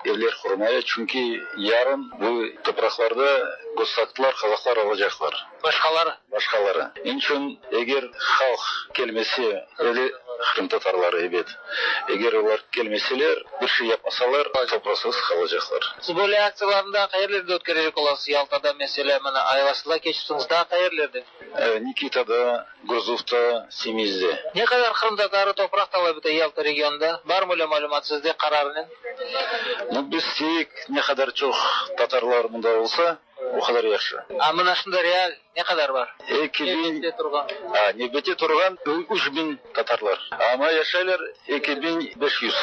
evler qurmaya, çünki yarın bu topraqlarda gosaktlar, qazaqlar alacaqlar. Başqaları? Başqaları. Niçün eger halq kelmese, öyle qırımtatarları, ebet, eger olar kelmeseler, bir şey yapmasalar, topraqsız qalacaqlar. Siz böyle aktsiyalarnı daa qayerlerde ötkerecek olasız? Yaltada, meselâ, mına Ayvasılda keçipsiñiz, daa qayerlerde? Nikitada, Gurzufta, Semizde. Ne qadar qırımtatarı topraq talap ete Yalta regionında? Barmı öyle malümat sizde qararınen? Nu, biz isteyik, ne qadar çoq tatarlar mında olsa, o qadar yahşı. A mına şunda real ne qadar bar? 2000. Nevbette turğan. A, nevbette turğan 3000 tatarlar. Amma yaşaylar 2500.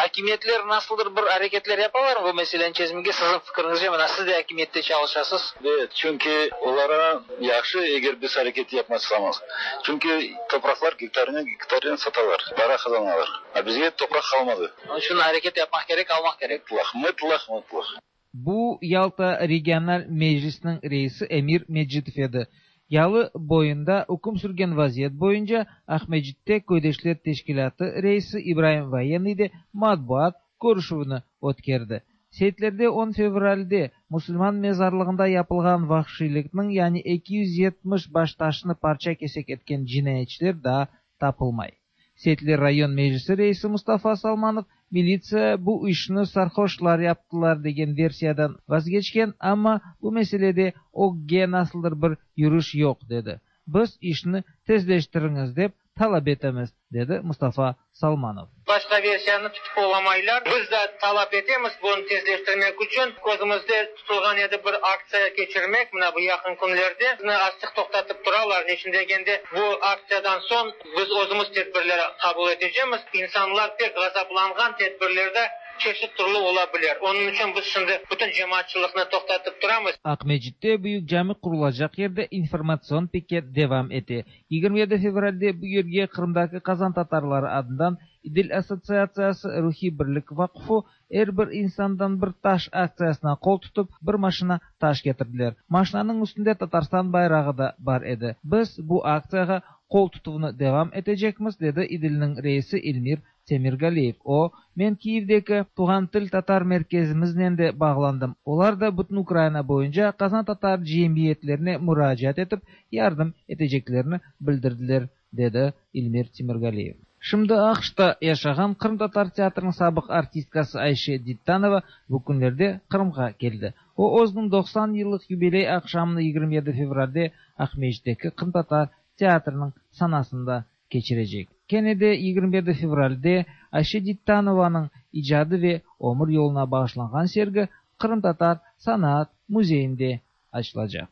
Akimiyetler nasıldır bir areketler yapalarmı bu meseleni çezmege, siziñ fikiriñizce, mına siz de akimiyette çalışasız? Ebet, çünki olara yahşı, eger biz areket yapmasamız. Çünki topraqlar gektarnen gektarnen satalar, para qazanalar. A bizge topraq qalmadı. Onıñ içün areket yapmaq kerek, almaq kerek. Mıtlaq, mıtlaq, mıtlaq. Bu Yalta regional meclisiniñ reisi Emir Mecitov edi. Yalı boyunda üküm sürgen vaziyet boyunca Aqmescitte Köydeşler teşkilâtı reisi İbraim Voyennıy de matbuat körüşüvini ötkerdi. Seytlerde on fevralde musulman mezarlığında yapılğan vahşiylikniñ, yani 270 baştaşnı parça-kesek etken cinayetçiler daa tapılmay. Seytler rayon meclisi reisi Mustafa Salmanov militsiya bu işni sarhoşlar yaptılar degen versiyadan vazgeçken, amma bu meselede ögge nasıldır bir yürüş yoq, dedi. Biz işni tezleştiriñiz dep talap etemiz, dedi Mustafa Salmanov. Başqa versiyanı tutıp olamaylar. Biz de talap etemiz bunı tezleştirmek içün. Közümizde tutulğan edi bir aktsiya keçirmek mına bu yaqın künlerde. Bizni azçıq toqtatıp turalar, neçün degende, bu aktsiyadan soñ biz özümiz tedbirler qabul etecemiz. İnsanlar pek ğazaplanğan, tedbirlerde çeşit türlü ola biler. Onıñ içün biz şimdi bütün cemaatçılıqnı toqtatıp turamız. Aqmescitte büyük cami qurulacaq yerde informatsion piket devam ete. 27 fevralde bu yerge Qırımdaki qazan tatarları adından İdil assotsiatsiyası Ruhiy birlik vaqfı Er bir insandan bir taş aktsiyasına qol tutıp, bir maşina taş ketirdiler. Maşinanıñ üstünde Tatarstan bayrağı da bar edi. Biz bu aktsiyağa qol tutuvnı devam etecekmiz, dedi İdilniñ reisi İlmir Temirgaliyev. O, Men Kiyevdeki Tuvğan til tatar merkezimiznen de bağlandım. Olar da bütün Ukraina boyunca qazantatar cemiyetlerine muracaat etip, yardım eteceklerini bildirdiler, dedi İlmir Temirgaliyev. Şimdi AQŞta yaşağan qırımtatar teatriniñ sabıq artistkası Ayşe Dittanova bu künlerde Qırımğa keldi. O, özüniñ 90 yıllıq yubiley aqşamını 27 fevralde Aqmescitteki qırımtatar teatriniñ sanasında keçirecek. Kene de 27 fevralde Ayşe Dittanovanıñ icadı ve ömür yoluna bağışlanğan sergi Qırımtatar sanaat müzeyinde açılacaq.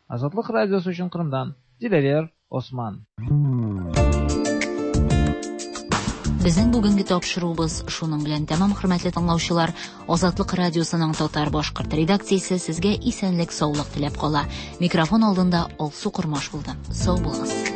Azatlıq Radiosı içün Qırımdan Dilâver Osman. Безнең бүгенге тапшыруыбыз шуның белән тәмам, хөрмәтле тыңлаучылар. Азатлык радиосының татар-башкорт редакциясе сезгә исәнлек-саулык теләп кала. Микрофон алдында Алсу Кормаш булды. Сау булыгыз.